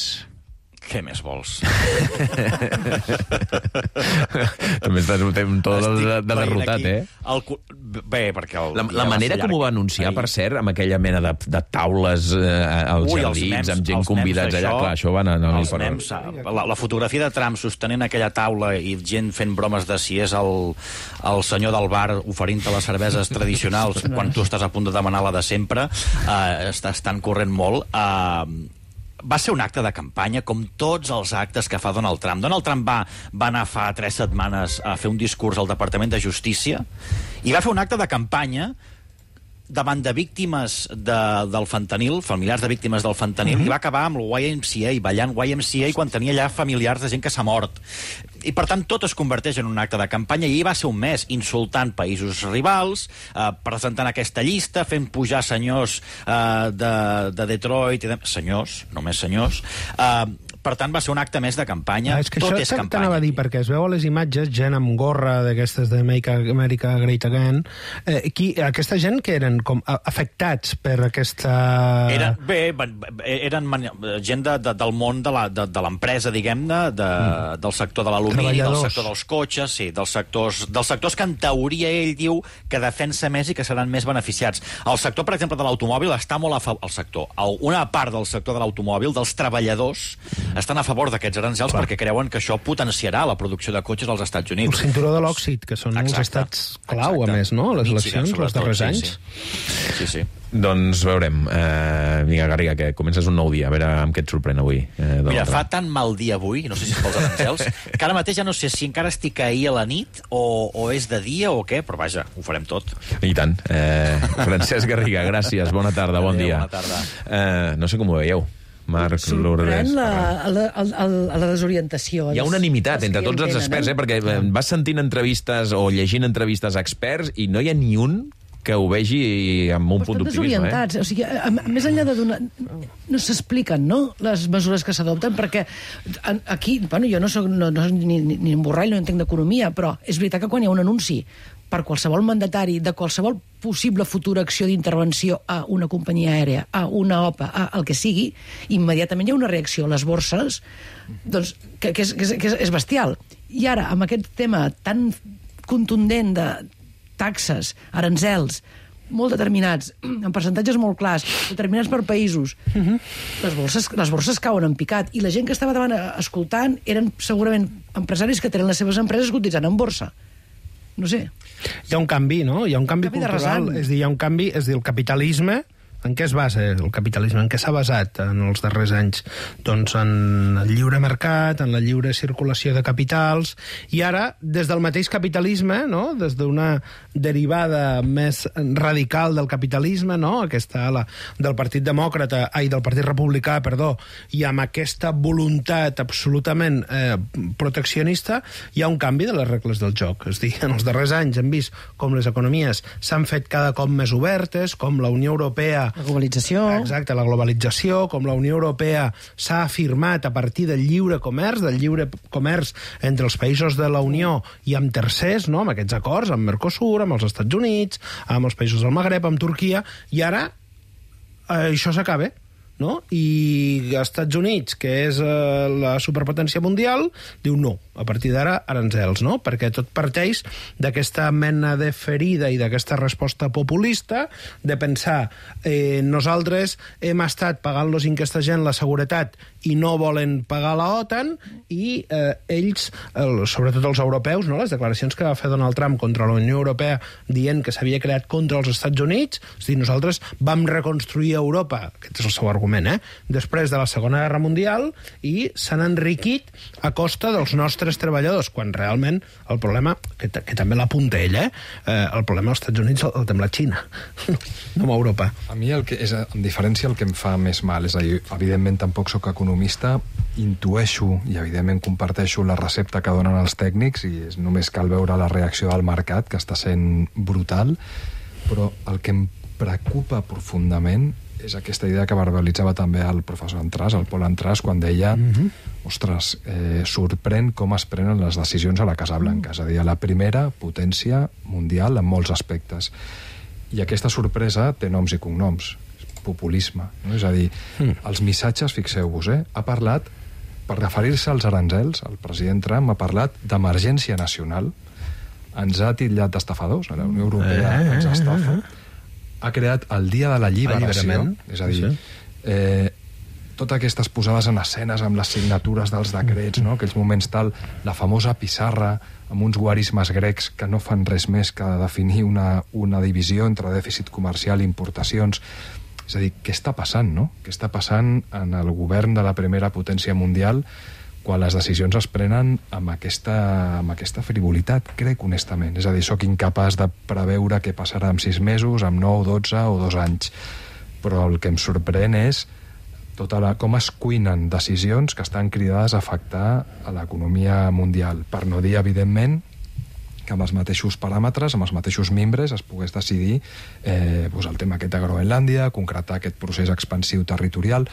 Què més vols? També estàs un to de, de derrotat, eh? El... Bé, perquè... El... La, la manera com ho va anunciar, per cert, amb aquella mena de, de taules eh, als Ui, jardins, amb gent convidats allà, clar, això va anar... No, els mems, la, la fotografia de Trump sostenint aquella taula i gent fent bromes de si és el, el senyor del bar oferint-te les cerveses tradicionals quan tu estàs a punt de demanar la de sempre, eh, estan corrent molt... Eh, va ser un acte de campanya, com tots els actes que fa Donald Trump. Donald Trump va, va anar fa tres setmanes a fer un discurs al Departament de Justícia i va fer un acte de campanya davant de víctimes de, del fentanil, familiars de víctimes del fentanil, mm-hmm. i va acabar amb el Y M C A, ballant Y M C A quan tenia allà familiars de gent que s'ha mort. I, per tant, tot es converteix en un acte de campanya, i va ser un mes insultant països rivals, eh, presentant aquesta llista, fent pujar senyors eh, de, de Detroit, i de... senyors, només senyors, eh, per tant, va ser un acte més de campanya. Ah, és que tot això és campanya. T'anava a dir, perquè es veu a les imatges gent amb gorra d'aquestes de Make America Great Again. Eh, qui, aquesta gent que eren com afectats per aquesta... Era, bé, eren gent de, de, del món de l'empresa, de, de diguem-ne, de, mm. del sector de l'alumini, del sector dels cotxes, sí, dels sectors, dels sectors que en teoria ell diu que defensa més i que seran més beneficiats. El sector, per exemple, de l'automòbil està molt a favor... El sector, una part del sector de l'automòbil, dels treballadors, estan a favor d'aquests arancels perquè creuen que això potenciarà la producció de cotxes als Estats Units. El cinturó de l'òxid, que són exacte, els estats clau, exacte. A més, no? Les eleccions, els darrers anys. Sí, sí. sí. Doncs veurem. Eh, vinga, Garriga, que comences un nou dia. A veure amb què et sorprèn avui. Eh, Mira, fa tan mal dia avui, no sé si és pels arancels, que ara mateix ja no sé si encara estic ahir a la nit o, o és de dia o què, però vaja, ho farem tot. I tant. Eh, Francesc Garriga, gràcies. Bona tarda, bon dia. Bona tarda. Eh, no sé com ho veieu. Marc, Sorprèn la, la, la, la desorientació. Hi ha unanimitat entre tots els experts, eh? Perquè vas sentint entrevistes o llegint entrevistes a experts i no hi ha ni un que ho vegi amb un Però punt d'optimisme. Eh? O sigui, a, a, més enllà de donar... No s'expliquen, no?, les mesures que s'adopten, perquè aquí, bueno, jo no soc no, no, ni, ni un borrall, no entenc d'economia, però és veritat que quan hi ha un anunci per qualsevol mandatari de qualsevol possible futura acció d'intervenció a una companyia aèria, a una O P A, a el que sigui, immediatament hi ha una reacció a les borses doncs, que, que, és, que, és, que és bestial. I ara, amb aquest tema tan contundent de taxes, arancels, molt determinats, en percentatges molt clars, determinats per països, uh-huh. les, borses, les borses cauen en picat, i la gent que estava davant escoltant eren segurament empresaris que tenen les seves empreses cotitzant en borsa. No sé. Hi ha un canvi, no? Hi ha un canvi, canvi cultural. És dir, hi ha un canvi, és dir, el capitalisme... En què es basa el capitalisme? En què s'ha basat en els darrers anys? Doncs en el lliure mercat, en la lliure circulació de capitals, i ara, des del mateix capitalisme, no?, des d'una derivada més radical del capitalisme, no?, aquesta ala del Partit Demòcrata, ai, del Partit Republicà, perdó, i amb aquesta voluntat absolutament eh, proteccionista, hi ha un canvi de les regles del joc. És dir, en els darrers anys hem vist com les economies s'han fet cada cop més obertes, com la Unió Europea la globalització. Exacte, la globalització, com la Unió Europea s'ha afirmat a partir del lliure comerç, del lliure comerç entre els països de la Unió i amb tercers, no?, amb aquests acords, amb Mercosur, amb els Estats Units, amb els països del Magreb, amb Turquia, i ara eh, això s'acaba. no? I els Estats Units, que és eh, la superpotència mundial, diu no, a partir d'ara aranzels, no? Perquè tot parteix d'aquesta mena de ferida i d'aquesta resposta populista de pensar eh, nosaltres hem estat pagant-los en aquesta gent la seguretat i no volen pagar la OTAN i eh, ells, el, sobretot els europeus, no? Les declaracions que va fer Donald Trump contra la Unió Europea dient que s'havia creat contra els Estats Units, és a dir, nosaltres vam reconstruir Europa, aquest és el seu argument, eh? Després de la Segona Guerra Mundial i s'han enriquit a costa dels nostres treballadors, quan realment el problema, que, que també l'apunta ell, eh? eh? el problema als Estats Units el, el té amb la Xina, no amb Europa. A mi, el que és, en diferència, el que em fa més mal, és a dir, evidentment tampoc sóc economista, intueixo i evidentment comparteixo la recepta que donen els tècnics i és, només cal veure la reacció del mercat, que està sent brutal, però el que em preocupa profundament és aquesta idea que verbalitzava també el professor Entràs, el Pol Entràs, quan deia mm-hmm. ostres, eh, sorprèn com es prenen les decisions a la Casa Blanca, és a dir, a la primera potència mundial en molts aspectes. I aquesta sorpresa té noms i cognoms, populisme, no? És a dir, mm. els missatges, fixeu-vos, eh, ha parlat, per referir-se als aranzels, el president Trump ha parlat d'emergència nacional, ens ha titllat d'estafadors, a la Unió Europea eh, ens estafa, eh, eh. ha creat el dia de la lliberació, és a dir, eh, totes aquestes posades en escenes amb les signatures dels decrets, no? Aquells moments tal, la famosa pissarra amb uns guarismes grecs que no fan res més que definir una, una divisió entre dèficit comercial i importacions. És a dir, què està passant, no? Què està passant en el govern de la primera potència mundial quan les decisions es prenen amb aquesta, amb aquesta frivolitat, crec honestament. És a dir, sóc incapaç de preveure què passarà en sis mesos, amb nou, dotze o dos anys. Però el que em sorprèn és tota la, com es cuinen decisions que estan cridades a afectar a l'economia mundial. Per no dir, evidentment, que amb els mateixos paràmetres, amb els mateixos membres, es pogués decidir eh, doncs el tema aquest de Groenlàndia, concretar aquest procés expansiu territorial.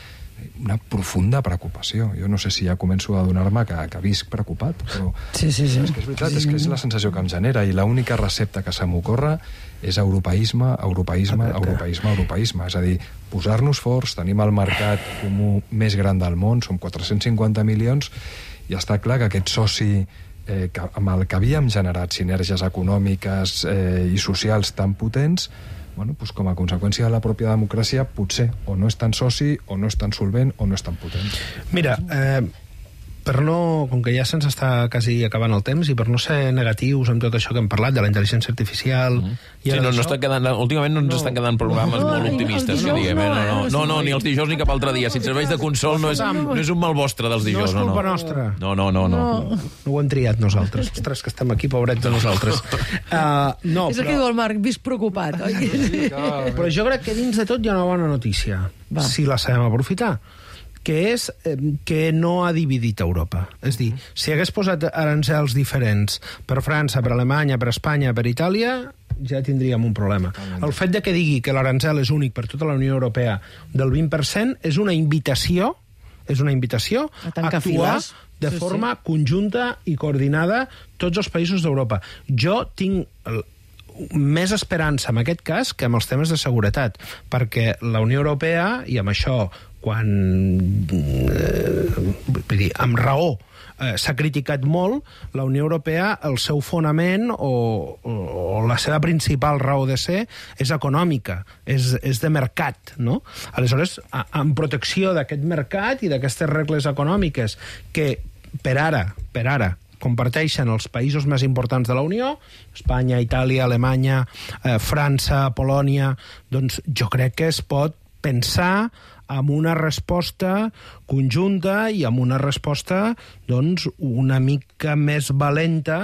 Una profunda preocupació. Jo no sé si ja començo a donar-me que, que visc preocupat, però sí, sí, sí. és que és veritat, sí, sí. és que és la sensació que em genera, i l'única recepta que se m'ocorre és europeisme, europeisme, europeisme, europeisme. És a dir, posar-nos forts, tenim el mercat comú més gran del món, som quatre-cents cinquanta milions, i està clar que aquest soci eh, que, amb el que havíem generat sinergies econòmiques eh, i socials tan potents, bueno, doncs com a conseqüència de la pròpia democràcia, potser o no és tan soci, o no és tan solvent, o no és tan potent. Mira, eh, per no, com que ja se'ns està quasi acabant el temps, i per no ser negatius amb tot això que hem parlat, de la intel·ligència artificial... Mm. Sí, no, no està quedant, últimament no ens no. estan quedant programes no, molt optimistes, no, diguem, no, no, no, no, ni els dijous ni cap altre dia. Si et serveix de consol, no és, no és un mal vostre dels dijous. No és culpa no, no. nostra. No, no, no, no. No, no ho hem triat nosaltres. Ostres, que estem aquí, pobrets de nosaltres. Uh, no, és el però... que diu el Marc, visc preocupat. Oi? Sí, però jo crec que dins de tot hi ha una bona notícia, Va. si la sabem aprofitar, que és eh, que no ha dividit Europa. És a dir, si hagués posat arancels diferents per França, per Alemanya, per Espanya, per Itàlia, ja tindríem un problema. El fet de que digui que l'arancel és únic per tota la Unió Europea del vint per cent és una invitació és una invitació a, a actuar files. de sí, forma sí. conjunta i coordinada tots els països d'Europa. Jo tinc el, més esperança en aquest cas que amb els temes de seguretat, perquè la Unió Europea, i amb això quan eh, vull dir, amb raó eh, s'ha criticat molt, la Unió Europea, el seu fonament o, o, o la seva principal raó de ser és econòmica, és, és de mercat, no? Aleshores, a, en protecció d'aquest mercat i d'aquestes regles econòmiques que per ara, per ara, comparteixen els països més importants de la Unió, Espanya, Itàlia, Alemanya, eh, França, Polònia, doncs jo crec que es pot pensar amb una resposta conjunta i amb una resposta doncs, una mica més valenta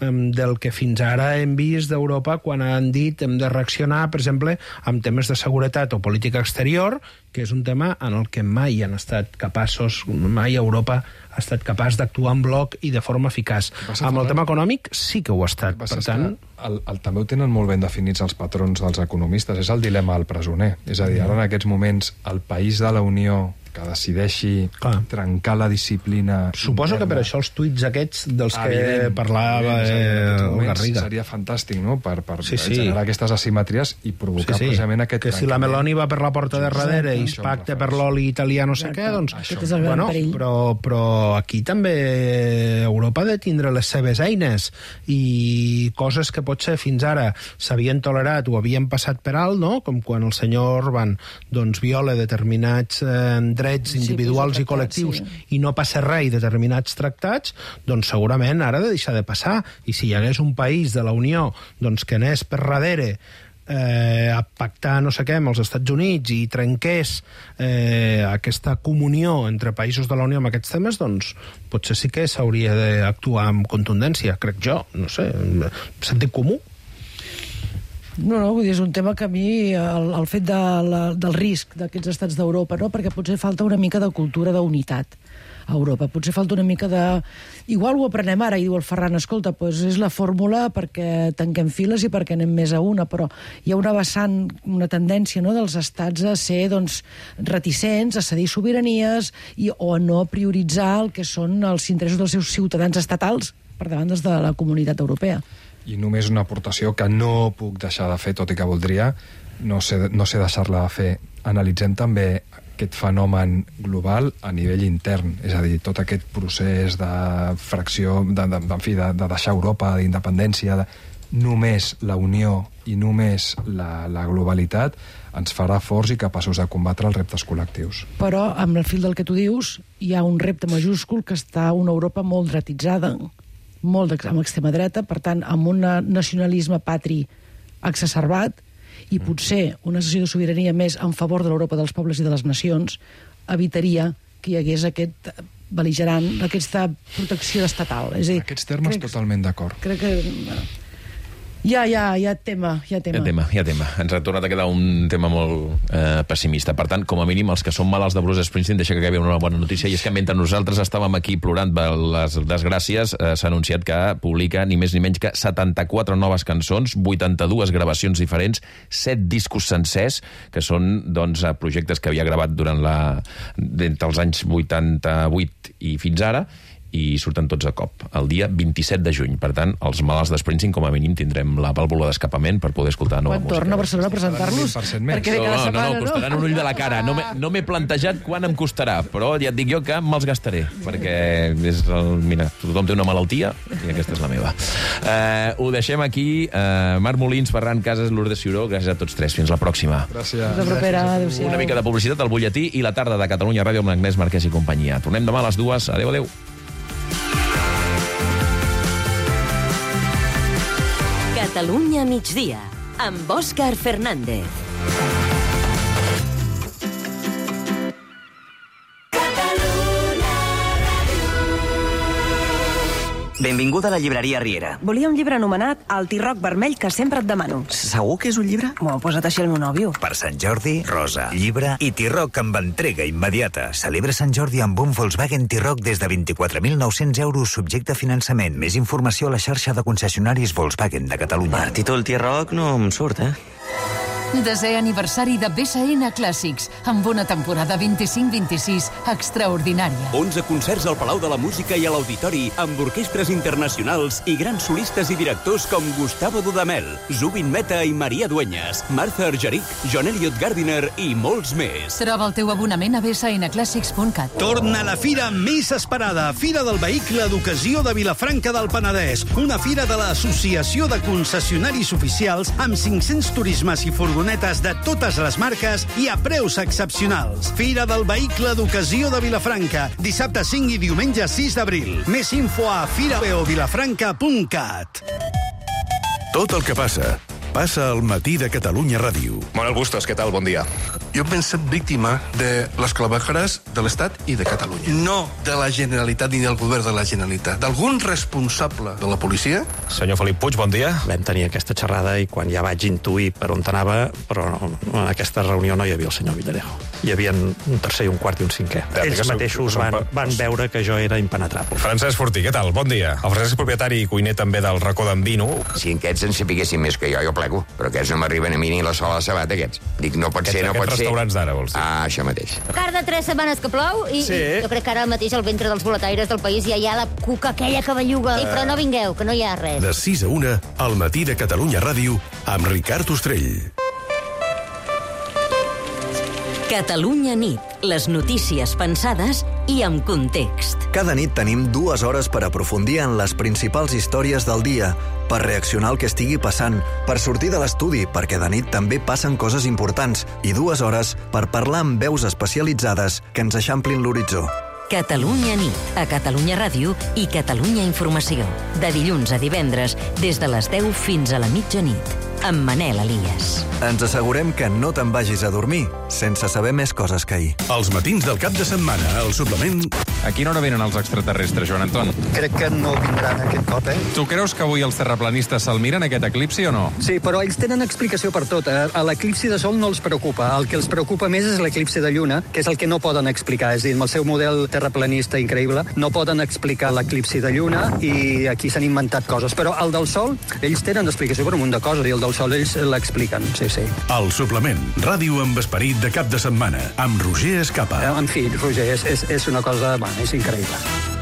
eh, del que fins ara hem vist d'Europa quan han dit hem de reaccionar, per exemple, amb temes de seguretat o política exterior, que és un tema en el que mai han estat capaços, mai Europa ha estat capaç d'actuar en bloc i de forma eficaç. Amb el tema econòmic sí que ho ha estat. Per tant... El, el, també ho tenen molt ben definits els patrons dels economistes. És el dilema del presoner. És a dir, ara en aquests moments el país de la Unió que decideixi Clar. trencar la disciplina... Suposo interna. Que per això els tuits aquests dels que evident, parlava evident, eh, el Garriga. Seria fantàstic, no?, per, per sí, sí. generar aquestes asimetries i provocar sí, sí. precisament aquest... Que si la Meloni va per la porta de darrere i es pacta per l'oli italià no sé què, doncs... Bueno, però, però aquí també Europa ha de tindre les seves eines i coses que potser fins ara s'havien tolerat o havien passat per alt, no?, com quan el senyor Orban doncs, viola determinats eh, drets individuals sí, i col·lectius sí. i no passa res i determinats tractats, doncs segurament ara ha de deixar de passar. I si hi hagués un país de la Unió doncs, que anés per darrere eh, a pactar no sé què amb els Estats Units i trenqués eh, aquesta comunió entre països de la Unió amb aquests temes, doncs potser sí que s'hauria d'actuar amb contundència, crec jo, no sé, sentit comú. No, no, vull dir, és un tema que a mi, el, el fet de la, del risc d'aquests estats d'Europa, no? Perquè potser falta una mica de cultura d'unitat a Europa, potser falta una mica de... Igual ho aprenem ara, i diu el Ferran, escolta, doncs és la fórmula perquè tanquem files i perquè anem més a una, però hi ha una vessant, una tendència, no?, dels estats a ser, doncs, reticents, a cedir sobiranies i, o a no prioritzar el que són els interessos dels seus ciutadans estatals per davant dels de la comunitat europea. I només una aportació que no puc deixar de fer, tot i que voldria, no sé, no sé deixar-la de fer. Analitzem també aquest fenomen global a nivell intern, és a dir, tot aquest procés de fracció, de, de, en fi, de, de deixar Europa, d'independència, de... només la unió i només la, la globalitat ens farà forts i capaços de combatre els reptes col·lectius. Però, amb el fil del que tu dius, hi ha un repte majúscul que està una Europa molt dretitzada, molt amb extrema dreta, per tant, amb un nacionalisme patri exacerbat, i potser una sessió de sobirania més en favor de l'Europa dels pobles i de les nacions evitaria que hi hagués aquest bel·ligerant, aquesta protecció estatal. És a dir, en aquests termes crec, totalment d'acord. Crec que... Ja, ja, ja tema, ja tema. Ja tema, ja tema. Ens ha tornat a quedar un tema molt eh, pessimista. Per tant, com a mínim, els que són malalts de Bruce Springsteen, deixa que acabi una bona notícia, i és que mentre nosaltres estàvem aquí plorant per les desgràcies, eh, s'ha anunciat que publica ni més ni menys que setanta-quatre noves cançons, vuitanta-dues gravacions diferents, set discos sencers, que són doncs, projectes que havia gravat durant la... entre els anys vuitanta-vuit i fins ara, i surten tots a cop, el dia vint-i-set de juny. Per tant, els malalts de Springsteen, com a mínim, tindrem la vàlvula d'escapament per poder escoltar nova quan música. Quan torna a Barcelona a presentar-los? Perquè no, no, no, no, costaran un ull de la cara. No m'he no plantejat quan em costarà, però ja et dic jo que me'ls gastaré, perquè és el, mira, tothom té una malaltia i aquesta és la meva. Eh, ho deixem aquí. Eh, Marc Molins, Ferran Casas, Lourdes Ciuró, gràcies a tots tres. Fins la pròxima. Gràcies. Fins la propera. Adéu-siau. Una mica de publicitat al butlletí i la tarda de Catalunya Ràdio amb l'Agnès Marquès i companyia. Tornem demà a les dues. Adéu, adéu. Catalunya migdia, amb Òscar Fernández. Benvinguda a la llibreria Riera. Volia un llibre anomenat El tirroc vermell que sempre et demano. Segur que és un llibre? M'ho ha posat així el meu nòvio. Per Sant Jordi, rosa, llibre i tirroc amb entrega immediata. Celebra Sant Jordi amb un Volkswagen Tirroc des de vint-i-quatre mil nou-cents euros subjecte a finançament. Més informació a la xarxa de concessionaris Volkswagen de Catalunya. Per títol Tirroc no em surt, eh? Desè aniversari de B S N Clàssics, amb una temporada vint-i-cinc vint-i-sis extraordinària. onze concerts al Palau de la Música i a l'Auditori, amb orquestres internacionals i grans solistes i directors com Gustavo Dudamel, Zubin Mehta i Maria Dueñas, Martha Argerich, John Elliott Gardiner i molts més. Troba el teu abonament a b s n clàssics punt cat. Torna la fira més esperada, Fira del Vehicle d'Ocasió de Vilafranca del Penedès, una fira de l'Associació de Concessionaris Oficials amb cinc-cents turismes i furgonetes de totes les marques i a preus excepcionals. Fira del Vehicle d'Ocasió de Vilafranca, dissabte cinc i diumenge sis d'abril. Més info a fira o vilafranca punt cat. Tot el que passa, passa al matí de Catalunya Ràdio. Manuel Bustos, què tal? Bon dia. Jo he estat víctima de les clavejares de l'Estat i de Catalunya. No de la Generalitat ni del govern de la Generalitat. D'algun responsable de la policia. Senyor Felip Puig, bon dia. Vam tenir aquesta xerrada i quan ja vaig intuir per on anava, però en aquesta reunió no hi havia el senyor Villarejo. Hi havia un tercer i un quart i un cinquè. Ells mateixos van, van veure que jo era impenetrable. Francesc Fortí, què tal? Bon dia. El Francesc és propietari i cuiner també del racó d'en Vino. Si aquests en sapiguessin més que jo, jo ple Paco, però aquests no m'arriben a mi ni la sola de sabat, aquests. Dic, no pot Aquests- ser, no pot aquests ser. restaurants d'ara, vols dir? Ah, això mateix. Car de tres setmanes que plou i, Sí. i jo crec que ara mateix al ventre dels boletaires del país ja hi ha la cuca aquella que belluga. Ei, però no vingueu, que no hi ha res. De sis a una, al matí de Catalunya Ràdio, amb Ricard Ostrell. Catalunya nit, les notícies pensades i amb context. Cada nit tenim dues hores per aprofundir en les principals històries del dia, per reaccionar al que estigui passant, per sortir de l'estudi, perquè de nit també passen coses importants, i dues hores per parlar amb veus especialitzades que ens eixamplin l'horitzó. Catalunya nit, a Catalunya Ràdio i Catalunya Informació. De dilluns a divendres, des de les deu fins a la mitjanit, amb Manel Elias. Ens assegurem que no te'n vagis a dormir sense saber més coses que ahir. Els matins del cap de setmana, al suplement... A quina hora venen els extraterrestres, Joan Anton? Crec que no vindran aquest cop, eh? Tu creus que avui els terraplanistes se'l miren, aquest eclipsi, o no? Sí, però ells tenen explicació per tot. eh? A l'eclipsi de sol no els preocupa. El que els preocupa més és l'eclipsi de lluna, que és el que no poden explicar. És a dir, amb el seu model terraplanista increïble, no poden explicar l'eclipsi de lluna i aquí s'han inventat coses. Però el del sol, ells tenen explicació per un munt de coses i el del sol ells l'expliquen, sí, sí. El suplement, ràdio amb esperit de cap de setmana, amb Roger Escapa. En fi, Roger, és, és, és una cosa... Bueno, és increïble.